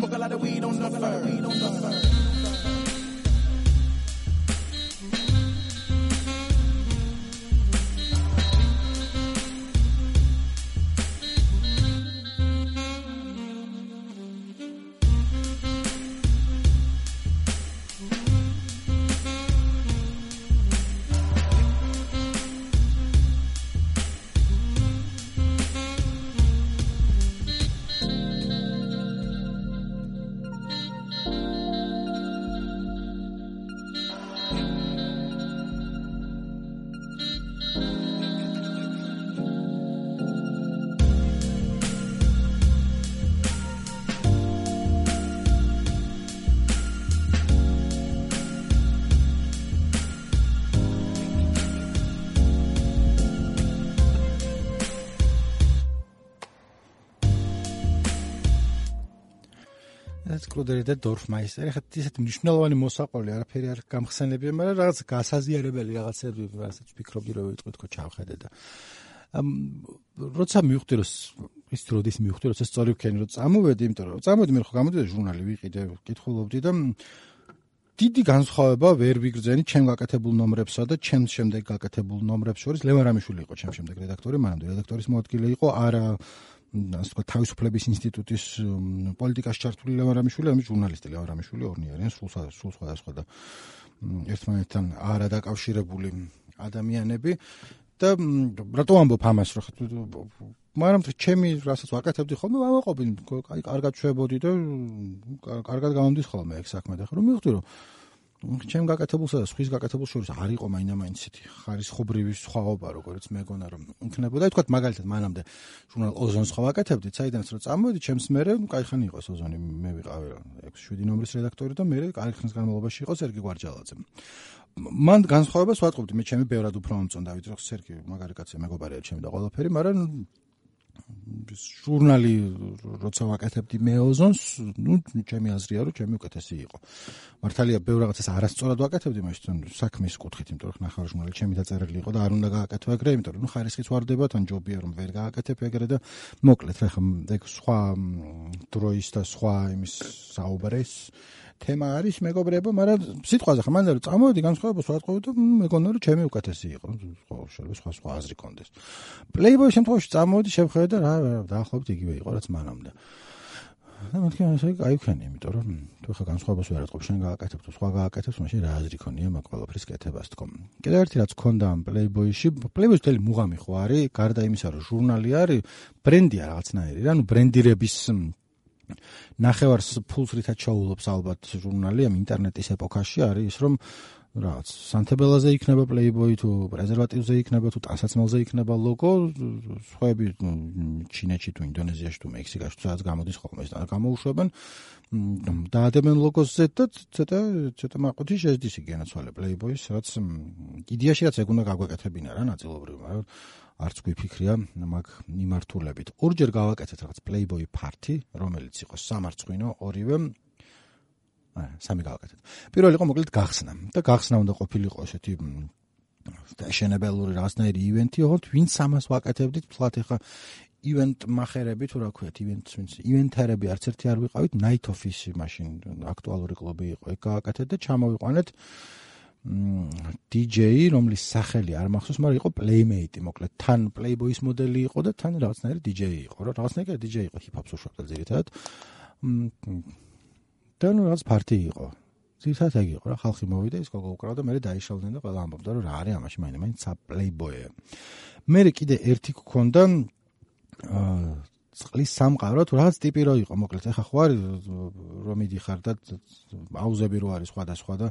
Speaker 2: Smoke a lot of weed on the fur.
Speaker 1: ეს კლუდერი და დორფმაისტერი, ხა ისეთი მნიშვნელოვანი მოსაყოლი არაფერი არ გამხსენებია, მაგრამ რაღაც გასაზიარებელი რაღაცები, რასაც ვფიქრობდი რომ ვიტყვი თქო ჩავხედე და როცა მივხვდი რომ ის როდის მივხვდი რომ ეს სწორი ვქენი რომ წამოვედი, იმიტომ რომ წამოვედი მე ხო გამოდიოდა ჟურნალი ვიყიდე, კითხულობდი და დიდი განსხვავება ვერ ვიგრძენი ჩემ გაკეთებულ ნომრებსა და ჩემს შემდეგ გაკეთებულ ნომრებს შორის. ლევან რამიშვილი იყო ჩემს შემდეგ რედაქტორი, მანამდე რედაქტორის მოადგილე იყო, არა ასე ვთქვათ, თავისუფლების ინსტიტუტის პოლიტიკაში ჩართული ლევან რამიშვილი, ამის ჟურნალისტი ლევან რამიშვილი ორნი არიან, სულ სხვადასხვა და ერთმანეთთან არა დაკავშირებული ადამიანები და რატო ამბობ ამას, მაგრამ ჩემი რასაც ვაკეთებდი ხოლმე, ვამაყობდი, აი კარგად შვებოდი და კარგად გამომდის ხოლმე ეგ საქმე და რომ მივხვდი რომ ჩემ გაკეთებულსა და სხვის გაკეთებულ შორის არ იყო მაინდა-მაინც ისეთი ხარისხობრივი სხვაობა, როგორც მეგონა რომ იქნებოდა. თქვათ მაგალითად მანამდე ჟურნალ ოზონს ხო ვაკეთებდი, საიდანაც რომ წამოვედი, ჩემს მერე კაიხანი იყო ოზონი, მე ვიყავი 6-7 ნომრის რედაქტორი და მე კაი ხნის განმავლობაში იყო სერგი გვარჯალაძე. მან განსხვავებას ვატყობდი, მე ჩემი ბევრად უფრო მომწონდა, ვიდრე რომ სერგი მაგარი კაცია, მეგობარია ჩემი და ყველაფერი, მაგრამ ჟურნალი როცა ვაკეთებდი მე ოზონს, ჩემი აზრია რომ ჩემი უკეთესი იყო. მართალია ბევრ რაღაცას არასწორად ვაკეთებდი მაშინ საქმის კუთხით, იმიტომ რომ ნახარ ჟურნალი ჩემი დაწერილი იყო და არ უნდა გააკეთო ეგრე, იმიტომ რომ ხარისხიც ვარდება, თან ჯობია რომ ვერ გააკეთებ ეგრე და მოკლედ რა ხა ეგ სხვა დროის და სხვა იმის საუბრის თემა არის მეგობრებო, მაგრამ სიტყვაზე ხა მანდ რომ წამოვედი განსხვავებას ვატყობდი და მეგონა რომ ჩემი უკეთესი იყო. შეიძლება სხვა აზრი კონდეს. პლეიბოის შემთხვევაში წამოვედი, შევხედე და რა დაახლოებით იგივე იყო რაც მანამდე. და მეთქი ასე გაიქენი, იმიტომ რომ თუ ხა განსხვავებას ვერ ატყობ, შენ გააკეთებ თუ სხვა გააკეთებს, მაშინ რა აზრი ქონია მაგ ყველაფრის კეთებას თქო. კიდევ ერთი რაც ქონდა ამ პლეიბოიში, პლეიბოის მთელი მუღამი ხო არის, გარდა იმისა რომ ჟურნალი არის, ბრენდია რაღაცნაირი, რა, ნუ ბრენდირების ნახევარს ფულს რითაც ჩაულობს ალბათ ჟურნალი ამ ინტერნეტის ეპოქაში არის ის რომ რაღაც სანთებელაზე იქნება პლეიბოი თუ პრეზერვატივზე იქნება თუ ტანსაცმელზე იქნება ლოგო, სხვაები ჩინეთში თუ ინდონეზიაში თუ მექსიკაში თუ სადაც გამოდის ხოლმე ეს და გამოუშვებენ დაადებენ ლოგოზე და ცოტა მაყუთი შეძდის იგენაცვალე პლეიბოის, რაც იდეაში რაც ეგ უნდა გაგვეკეთებინა რა ნაწილობრივ, მაგრამ არც გვიფიქრია მაგ მიმართულებით. ორჯერ გავაკეთეთ რაღაც პლეიბოი ფართი, რომელიც იყო სამარცხვინო, ორივე სამი გავაკეთეთ. პირველი იყო მოკლედ გახსნა და გახსნა უნდა ყოფილიყო ესეთი შეშენებელური რაღაცნაირი ივენთი, ოღონდ ვინც ამას ვაკეთებდით, თლათ ეხა ივენტ მახერები თუ რა ქვიათ, ივენთერები არც ერთი არ ვიყავით, Night Office მაშინ აქტუალური კლუბი იყო, ეგ გავაკეთეთ და ჩამოვიყვანეთ DJ, რომლის სახელი არ მახსოვს, მაგრამ იყო Playmate, მოკლედ თან Playboy-ის მოდელი იყო და თან რაღაცნაირი DJ იყო, რა რაღაცნაირი DJ იყო, ჰიპ-ჰოპს უშვებდა ძირითადად. და ნუ რაღაც პარტი იყო. ძირითადად ეგ იყო რა, ხალხი მოვიდა, ის გოგო უკრავდა, მე დაიშალდნენ და ყველა ამბობდა რომ რა არის ამაში, მაინც Playboy-ია. მე კიდე ერთი გქონდა წყლის სამყარო, თუ რაღაც ტიპი რო იყო, მოკლედ ეხა ხო არის რომ მიდიხარ და აუზები რო არის სხვადასხვა და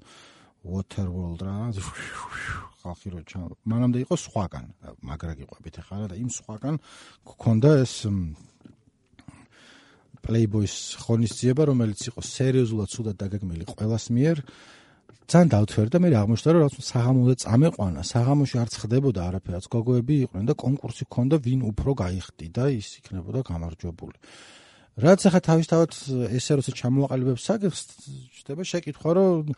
Speaker 1: Waterworld რა ხალხი რო მანამდე იყო სხვაგან, მაგრა გიყვებით ახლა და იმ სხვაგან გქონდა ეს Playboy-ის ღონისძიება, რომელიც იყო სერიოზულად სუდად დაგეგმილი ყველას მიერ. ძალიან დავთვერდა, მე აღმოჩნდა რომ რაღაც საღამოზე წამეყვანა, საღამოში არც ხდებოდა არაფერაც, გოგოები იყვნენ და კონკურსი ჰქონდა, ვინ უფრო გაიხდიდა, ის იქნებოდა გამარჯვებული. რაც ახლა თავისთავად ესე როცა ჩამოაყალიბებს საკითხს, ხდება შეკითხვა, რომ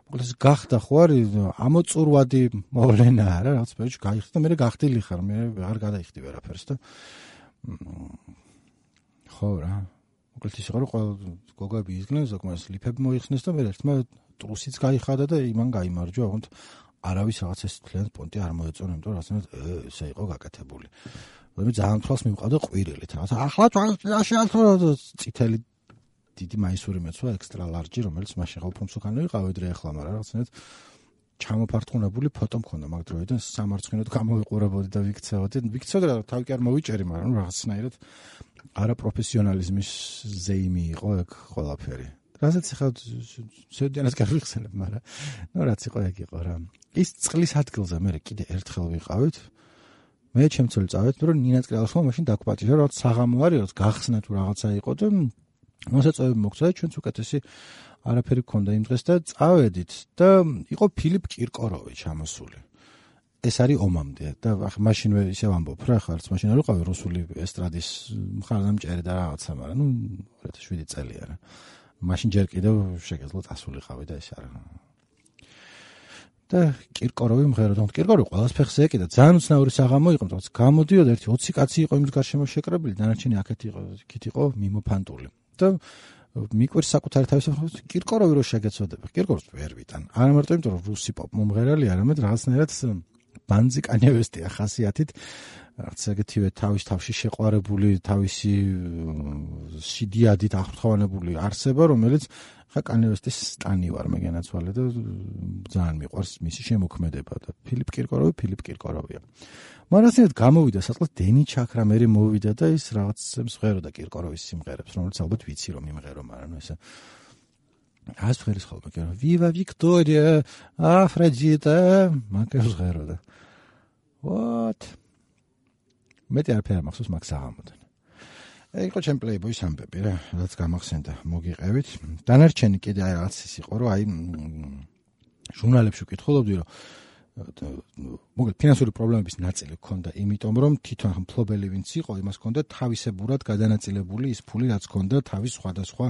Speaker 1: მოკლედ გახდა ხო არის ამოწურვადი მოვლენაა რა, რაღაც ბეჭ გაიხდა და მე გახდილი ხარ, მე არ გადაიხდი ვერაფერს და ხო რა. მოკლედ ის იყო რომ ყველა გოგოები იზგნენ, ზოგმას ლიფები მოიხსნეს და მე ერთმა ტრუსიც გაიხადა და იმან გაიმარჯვა, ოღონდ არავის რაღაც ეს თლიანად პონტი არ მოეწონა, იმიტომ რომ რაღაცნაირად ესე იყო გაკეთებული. მე ძალიან თვალს მივყავდა ყვირილით, რაღაც ახლა შეალთო წითელი დიდი მაისური მეცვა ექსტრა ლარჯი, რომელიც მაშინ ხალხომსუკანო იყავ ედრე ახლა, მაგრამ რაღაცნაირად ჩამოფარტყუნებული ფოტო მქონდა მაგ დროიდან, სამარცხინოდ გამოვიყურებოდი და ვიქცეოდი და თავი კი არ მოვიჭერი, მაგრამ რაღაცნაირად არაპროფესიონალიზმის ზეიმი იყო ეგ ყველაფერი. რასაც ახლა შედიანას გავიხსენებ, მაგრამ ნუ რაც იყო ეგ იყო რა. ის წყლის ადგილზე მე კიდე ერთხელ ვიყავით. მე ჩემწოლი წავედ, რომ ნინაც კრალსმა მაშინ დაგპატიჟა, რომ საღამო არის, რომ გახსნა თუ რაღაცა იყო და მოსაწვევი მოგცა და ჩვენც უკეთესი არაფერი გქონდა იმ დღეს და წავედით და იყო ფილიპ კირკოროვი ჩამოსული. ეს არის ომამდე და მაშინვე ისევ ამბობ რა, ხარც მაშინ არ ვიყავი რუსული ესტრადის მხარდამჭერი და რაღაცა, მაგრამ ნუ 2007 წელია რა. მაშინ ჯერ კიდევ შეგეძლო წასულიყავი და ეს არა. და კირკოროვი მღეროდა. კირკოროვი ყველას ფეხს ეკიდა. ძალიან უცნაური საღამო იყო, თუმცა გამოდიოდა ერთი 20 კაცი იყო იმის გარშემო შეკრებილი, დანარჩენი აქეთ იყო, იქით იყო მიმოფანტული. და მიკვირს საკუთარი თავისუფლება კირკოროვი რო შეგეცოდება. კირკოროვს ვერ ვიტან. არა მარტო იმიტომ რომ რუსი პოპ მომღერალი, არამედ რაღაცნაირად ბანძი კანევესტია ხასიათით. რაღაც ეგეთივე თავში შეყვარებული, თავისი სიდიადით აღფრთოვანებული არსება, რომელიც ხა კანევესტის სტანი ვარ მე განაცვალე და ძალიან მიყვარს მისი შემოქმედება და ფილიპ კირკოროვია. მარასინად გამოვიდა საწყლად დენი ჩაქრამერი მოვიდა და ის რაღაც მსღეროდა კირკოროვის სიმღერებს, რომელიც ალბათ ვიცი რომ იმღერო, მაგრამ ნუ ესე ას ფერის ხოლმე კი რა ვივა ვიქტორია აფროდიტა მაგას ღეროდა. What? მეტი არაფერი მახსოვს მაგ საღამოდან. იყო ჩემ პლეიბოის ამბები რა, რაც გამახსენდა, მოგიყევით. დანარჩენი კიდე აი რაღაც ის იყო, რომ აი ჟურნალებში ვკითხულობდი, რომ მოგეთ ფინანსური პრობლემების ნაწილი ჰქონდა, იმიტომ რომ თვითონ მფლობელი ვინც იყო, იმას ჰქონდა თავისებურად გადანაწილებული ის ფული, რაც ჰქონდა თავის სხვადასხვა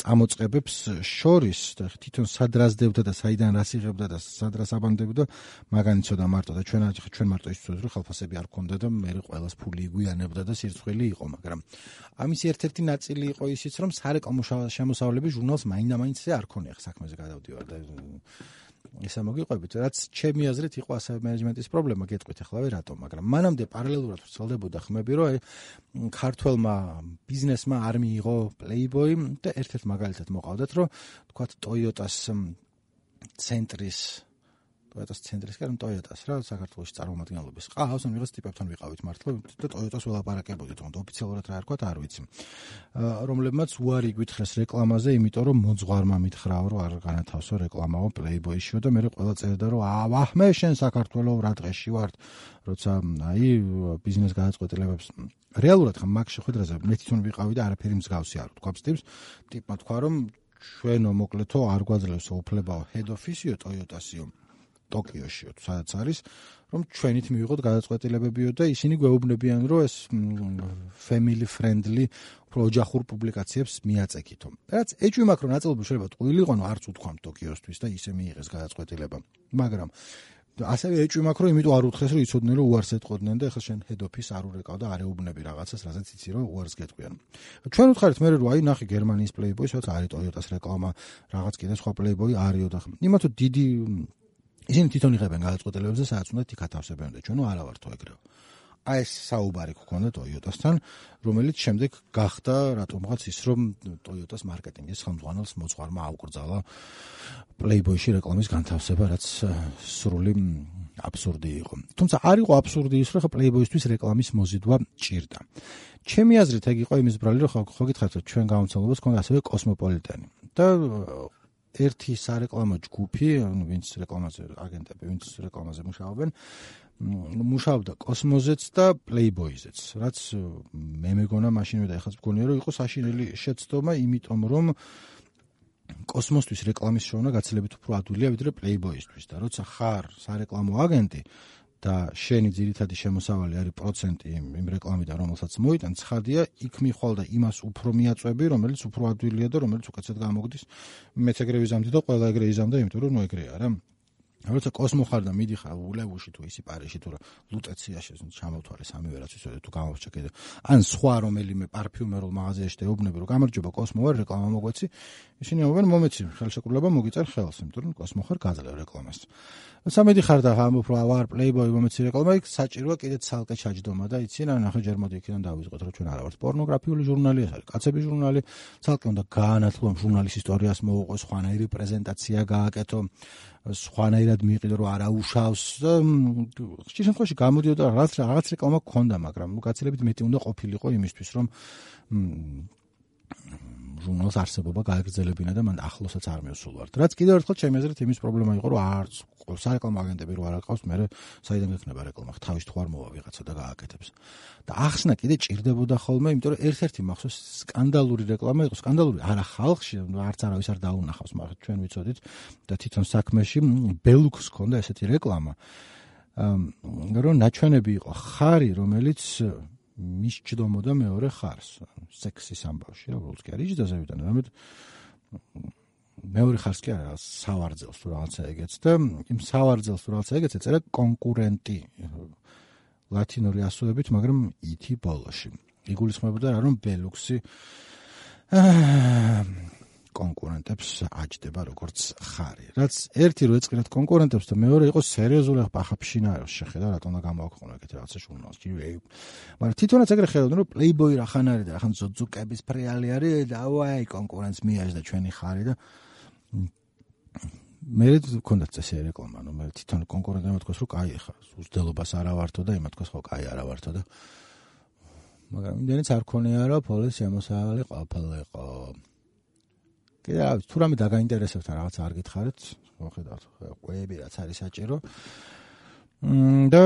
Speaker 1: წამოწყებებს შორის, და თვითონ სადრასდებდა და საიდან რას იღებდა და სადრას აბანდებდა, მაგან იცოდა მარტო და ჩვენ მარტო ის ვცოდით, რომ ხელფასები არ ჰქონდა და მე ყველას ფული იგვიანებდა და სირცხვილი იყო, მაგრამ ამის ერთ-ერთი ნაწილი იყო ისიც, რომ სარეკლამო შემოსავლები ჟურნალს მაინდა-მაინც არ ქონია საქმეზე გადავდივარ და ისა მოგიყვებით, რაც ჩემი აზრით იყო ასევე მენეჯმენტის პრობლემა, გეტყვით ახლა რატომ, მაგრამ მანამდე პარალელურად ვრცელდებოდა ხმები, რომ ქართველმა ბიზნესმა არ მიიღო პლეიბოი და ერთ-ერთ მაგალითად მოყავდათ, რომ თქვათ ტოიოტას ცენტრის კერამ ტოიოტას რა საქართველოში წარმომადგენლობის ყავს, ან ვიღაც ტიპებთან ვიყავით მართლა და ტოიოტას ველაპარაკებოდით, თუმცა ოფიციალურად რა არქვათ, არ ვიცი. რომლებმაც უარი გვითხრეს რეკლამაზე, იმიტომ რომ მოძღვარმა მითხრაო, რომ არ განათავსო რეკლამაო პლეიბოიშიო და მე ყველა წერდა, რომ აჰმე შენ საქართველო რა დღეში ვარ, როცა აი ბიზნეს გადაწყვეტილებებს რეალურად ხა მაგ შეხვედრაზე მე თვითონ ვიყავი და არაფერი მსგავსი არ ვთქვა ტიპს, ტიპმა თქვა, რომ ჩვენო მოკლედო არ გვაძლევს უფლებაო head office-იო ტოიოტასიო ტოკიოშიო, სადაც არის, რომ ჩვენით მივიღოთ გადაწყვეტილებებიო და ისინი გვეუბნებიან, რომ ეს family friendly ოჯახურ პუბლიკაციებს მიაწექითო. რაც ეჭვი მაქვს, რომ ნაწილობრივ შეიძლება ტყუილი იყო, არც უთქვამ ტოკიოსთვის და ისე მიიღეს გადაწყვეტილება. მაგრამ ასევე ეჭვი მაქვს, რომ იმიტომ არ უთხრეს, რომ იცოდნენ, რომ უარს ეტყოდნენ და ეხლა შენ head office არ ურეკავ და არ ეუბნები რაღაცას, რასაც იცი, რომ უარს გეტყვიან. ჩვენ უთხარით მე რომ აი ნახე გერმანიის პლეიბოი, სადაც არის ტოიოტას რეკლამა, რაღაც კიდე სხვა პლეიბოი არისო და იმათო დიდი ისინი თვითონ იღებენ გადაწყვეტილებებზე, სადაც უნდა იქ ათავსებენ და ჩვენო არა ვართო ეგრეო. აი ეს საუბარი გქონდა ტოიოტასთან, რომელიც შემდეგ გახდა რატომღაც ის, რომ ტოიოტას მარკეტინგის ხელმძღვანელს მოძღვარმა აუკრძალა პლეიბოიში რეკლამის განთავსება, რაც სრული აბსურდი იყო. თუმცა არ იყო აბსურდი ის, რომ პლეიბოისთვის რეკლამის მოზიდვა ჭირდა. ჩემი აზრით ეგ იყო იმის ბრალი, რომ ხო გითხარით, რომ ჩვენ გამომცემლობას ჰქონდა ასევე კოსმოპოლიტენი და ერთი სარეკლამო ჯგუფი, ვინც რეკლამაზე აგენტები, ვინც რეკლამაზე მუშაობენ, მუშაობდა კოსმოზეც და პლეიბოიზეც, რაც მე მეგონა მაშინვე და ეხლაც მგონია, რომ იყო საშინელი შეცდომა, იმიტომ რომ კოსმოსთვის რეკლამის შოვნა გაცილებით უფრო ადვილია, ვიდრე პლეიბოისთვის და როცა ხარ სარეკლამო აგენტი და შენი ძირითადი შემოსავალი არის პროცენტი იმ რეკლამიდან, რომელსაც მოიტან, ცხადია, იქ მიხვალ და იმას უფრო მიაწვევი, რომელიც უფრო ადვილია და რომელიც უკეთესად გამოგდის. მეც ეგრე ვიზამდი და ყველა ეგრე იზამდა, იმიტომ რომ ნუ ეგრეა რა. როცა კოსმო ხარ და მიდიხარ ულევუში თუ ისი პარიში თუ ლუტეციაში ჩამოვთვალე სამივე რაც ისე თუ გამოვჭა კიდე. ან სხვა რომელიმე პარფიუმერულ მაღაზიაში დაეუბნები, რომ გამარჯობა კოსმო ვარ, რეკლამა მოგვეცი. ისინი ამბობენ, მომეცი ხელშეკრულება მოგიწერ ხელს, იმიტომ რომ კოსმო ხარ გაძლევ რეკლამას. როცა მიდიხარ და ამბობ რა ვარ პლეიბოი მომეცი რეკლამა, იქ საჭიროა კიდე ცალკე ჩაჯდომა და იცი რა ნახე ჯერ მოდი იქიდან დავიწყოთ, რომ ჩვენ არა ვართ პორნოგრაფიული ჟურნალი, ეს არის კაცების ჟურნალი, ცალკე უნდა გაანათლო ამ ჟურნალის ისტორიას მოუყო, სხვანაირი პრეზენტაცია გააკეთო, სხვანაირად მიიყიდო, რომ არა უშავს და ხშირ შემთხვევაში გამოდიოდა რაღაც რეკლამა გქონდა, მაგრამ გაცილებით მეტი უნდა ყოფილიყო იმისთვის, რომ ჟურნალს არსებობა გააგრძელებინა და მან ახლოსაც არ მიუსულვართ. რაც კიდევ ერთხელ ჩემი აზრით იმის პრობლემა იყო, რომ არც სარეკლამო აგენტები რო არ აყავს, მე საიდან გექნება რეკლამა, თავის თუ არ მოვა ვიღაცა და გააკეთებს. და ახსნა კიდე ჭირდებოდა ხოლმე, იმიტომ რომ ერთ-ერთი მახსოვს სკანდალური რეკლამა იყო, სკანდალური არა ხალხში, არც არავის არ დაუნახავს, მაგრამ ჩვენ ვიცოდით და თვითონ საქმეში ბელუქს ჰქონდა ესეთი რეკლამა. რომ ნაჩვენები იყო ხარი, რომელიც მისჯდომოდა მეორე ხარს, სექსის ამბავში, რა უბრალოდ კი არ იჯდა ზევიდან, რამედ მეორე ხარს კი არა სავარძელს თუ რაღაცა ეგეც და იმ სავარძელს თუ რაღაცა ეგეც ეწერა კონკურენტი ლათინური ასოებით, მაგრამ ითი ბოლოში. იგულისხმებოდა რა რომ ბელუქსი კონკურენტებს აჯდება როგორც ხარი. რაც ერთი რო ეწყინათ კონკურენტებს და მეორე იყო სერიოზული ახაფშინაეროს შეხედა რატომ და გამოაქვეყნა ეგეთ რაღაცა ჟურნალს. მაგრამ თვითონაც ეგრე ხედავდნენ რომ პლეიბოი რახან არის და რახან ზოძუკების ფრიალი არის და აი კონკურენტს მიაჯდა ჩვენი ხარი და მე მქონდა წესი რეკლამა, რომ მე თვითონ კონკურენტებმა თქვას რომ კაი ხარ, უძდელობას არ ავართო და იმათ თქვას ხო კაი არ ავართო და მაგრამ იმდენიც არ ქონია რომ პოლის შემოსავალი ყოფილიყო. კიდე თუ რამე დაგაინტერესებთ რაღაც არ გითხარით, მოხედავთ, ყვები რაც არის საჭირო. და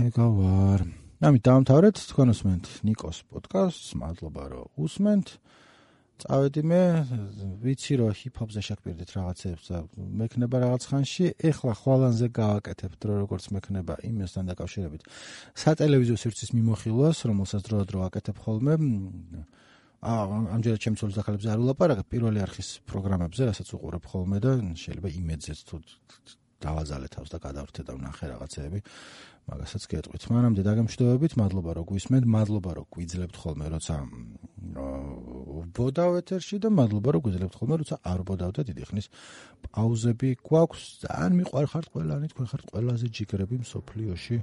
Speaker 1: ეგა ვარ. ამით დავამთავრეთ თქვენ უსმენთ ნიკოს პოდკასტს, მადლობა რომ უსმენთ. წავედი მე, ვიცი რომ ჰიპ-ჰოპზე შეგპირდით რაღაცებს და მექნება რაღაც ხანში, ეხლა ხვალანზე გავაკეთებთ რომ როგორც მექნება იმასთან დაკავშირებით. სატელევიზიო სივრცის მიმოხილვას, რომელსაც დროდადრო აკეთებ ხოლმე. ამჯერად ჩემს ახალებს არ ვლაპარაკებ პირველი არხის პროგრამებზე, რასაც უყურებ ხოლმე და შეიძლება იმედზეც თუ დავაზალე თავს და გადავრთე და ვნახე რაღაცეები, მაგასაც გეტყვით. მანამდე დაგემშვიდობებით, მადლობა რომ გვისმენთ, მადლობა რომ გვიძლებთ ხოლმე როცა ვბოდავ ეთერში და მადლობა რომ გვიძლებთ ხოლმე როცა არ ვბოდავ და დიდი ხნის პაუზები გვაქვს. ძალიან მიყვარხართ ყველანი, თქვენ ხართ ყველაზე ჯიგრები მსოფლიოში.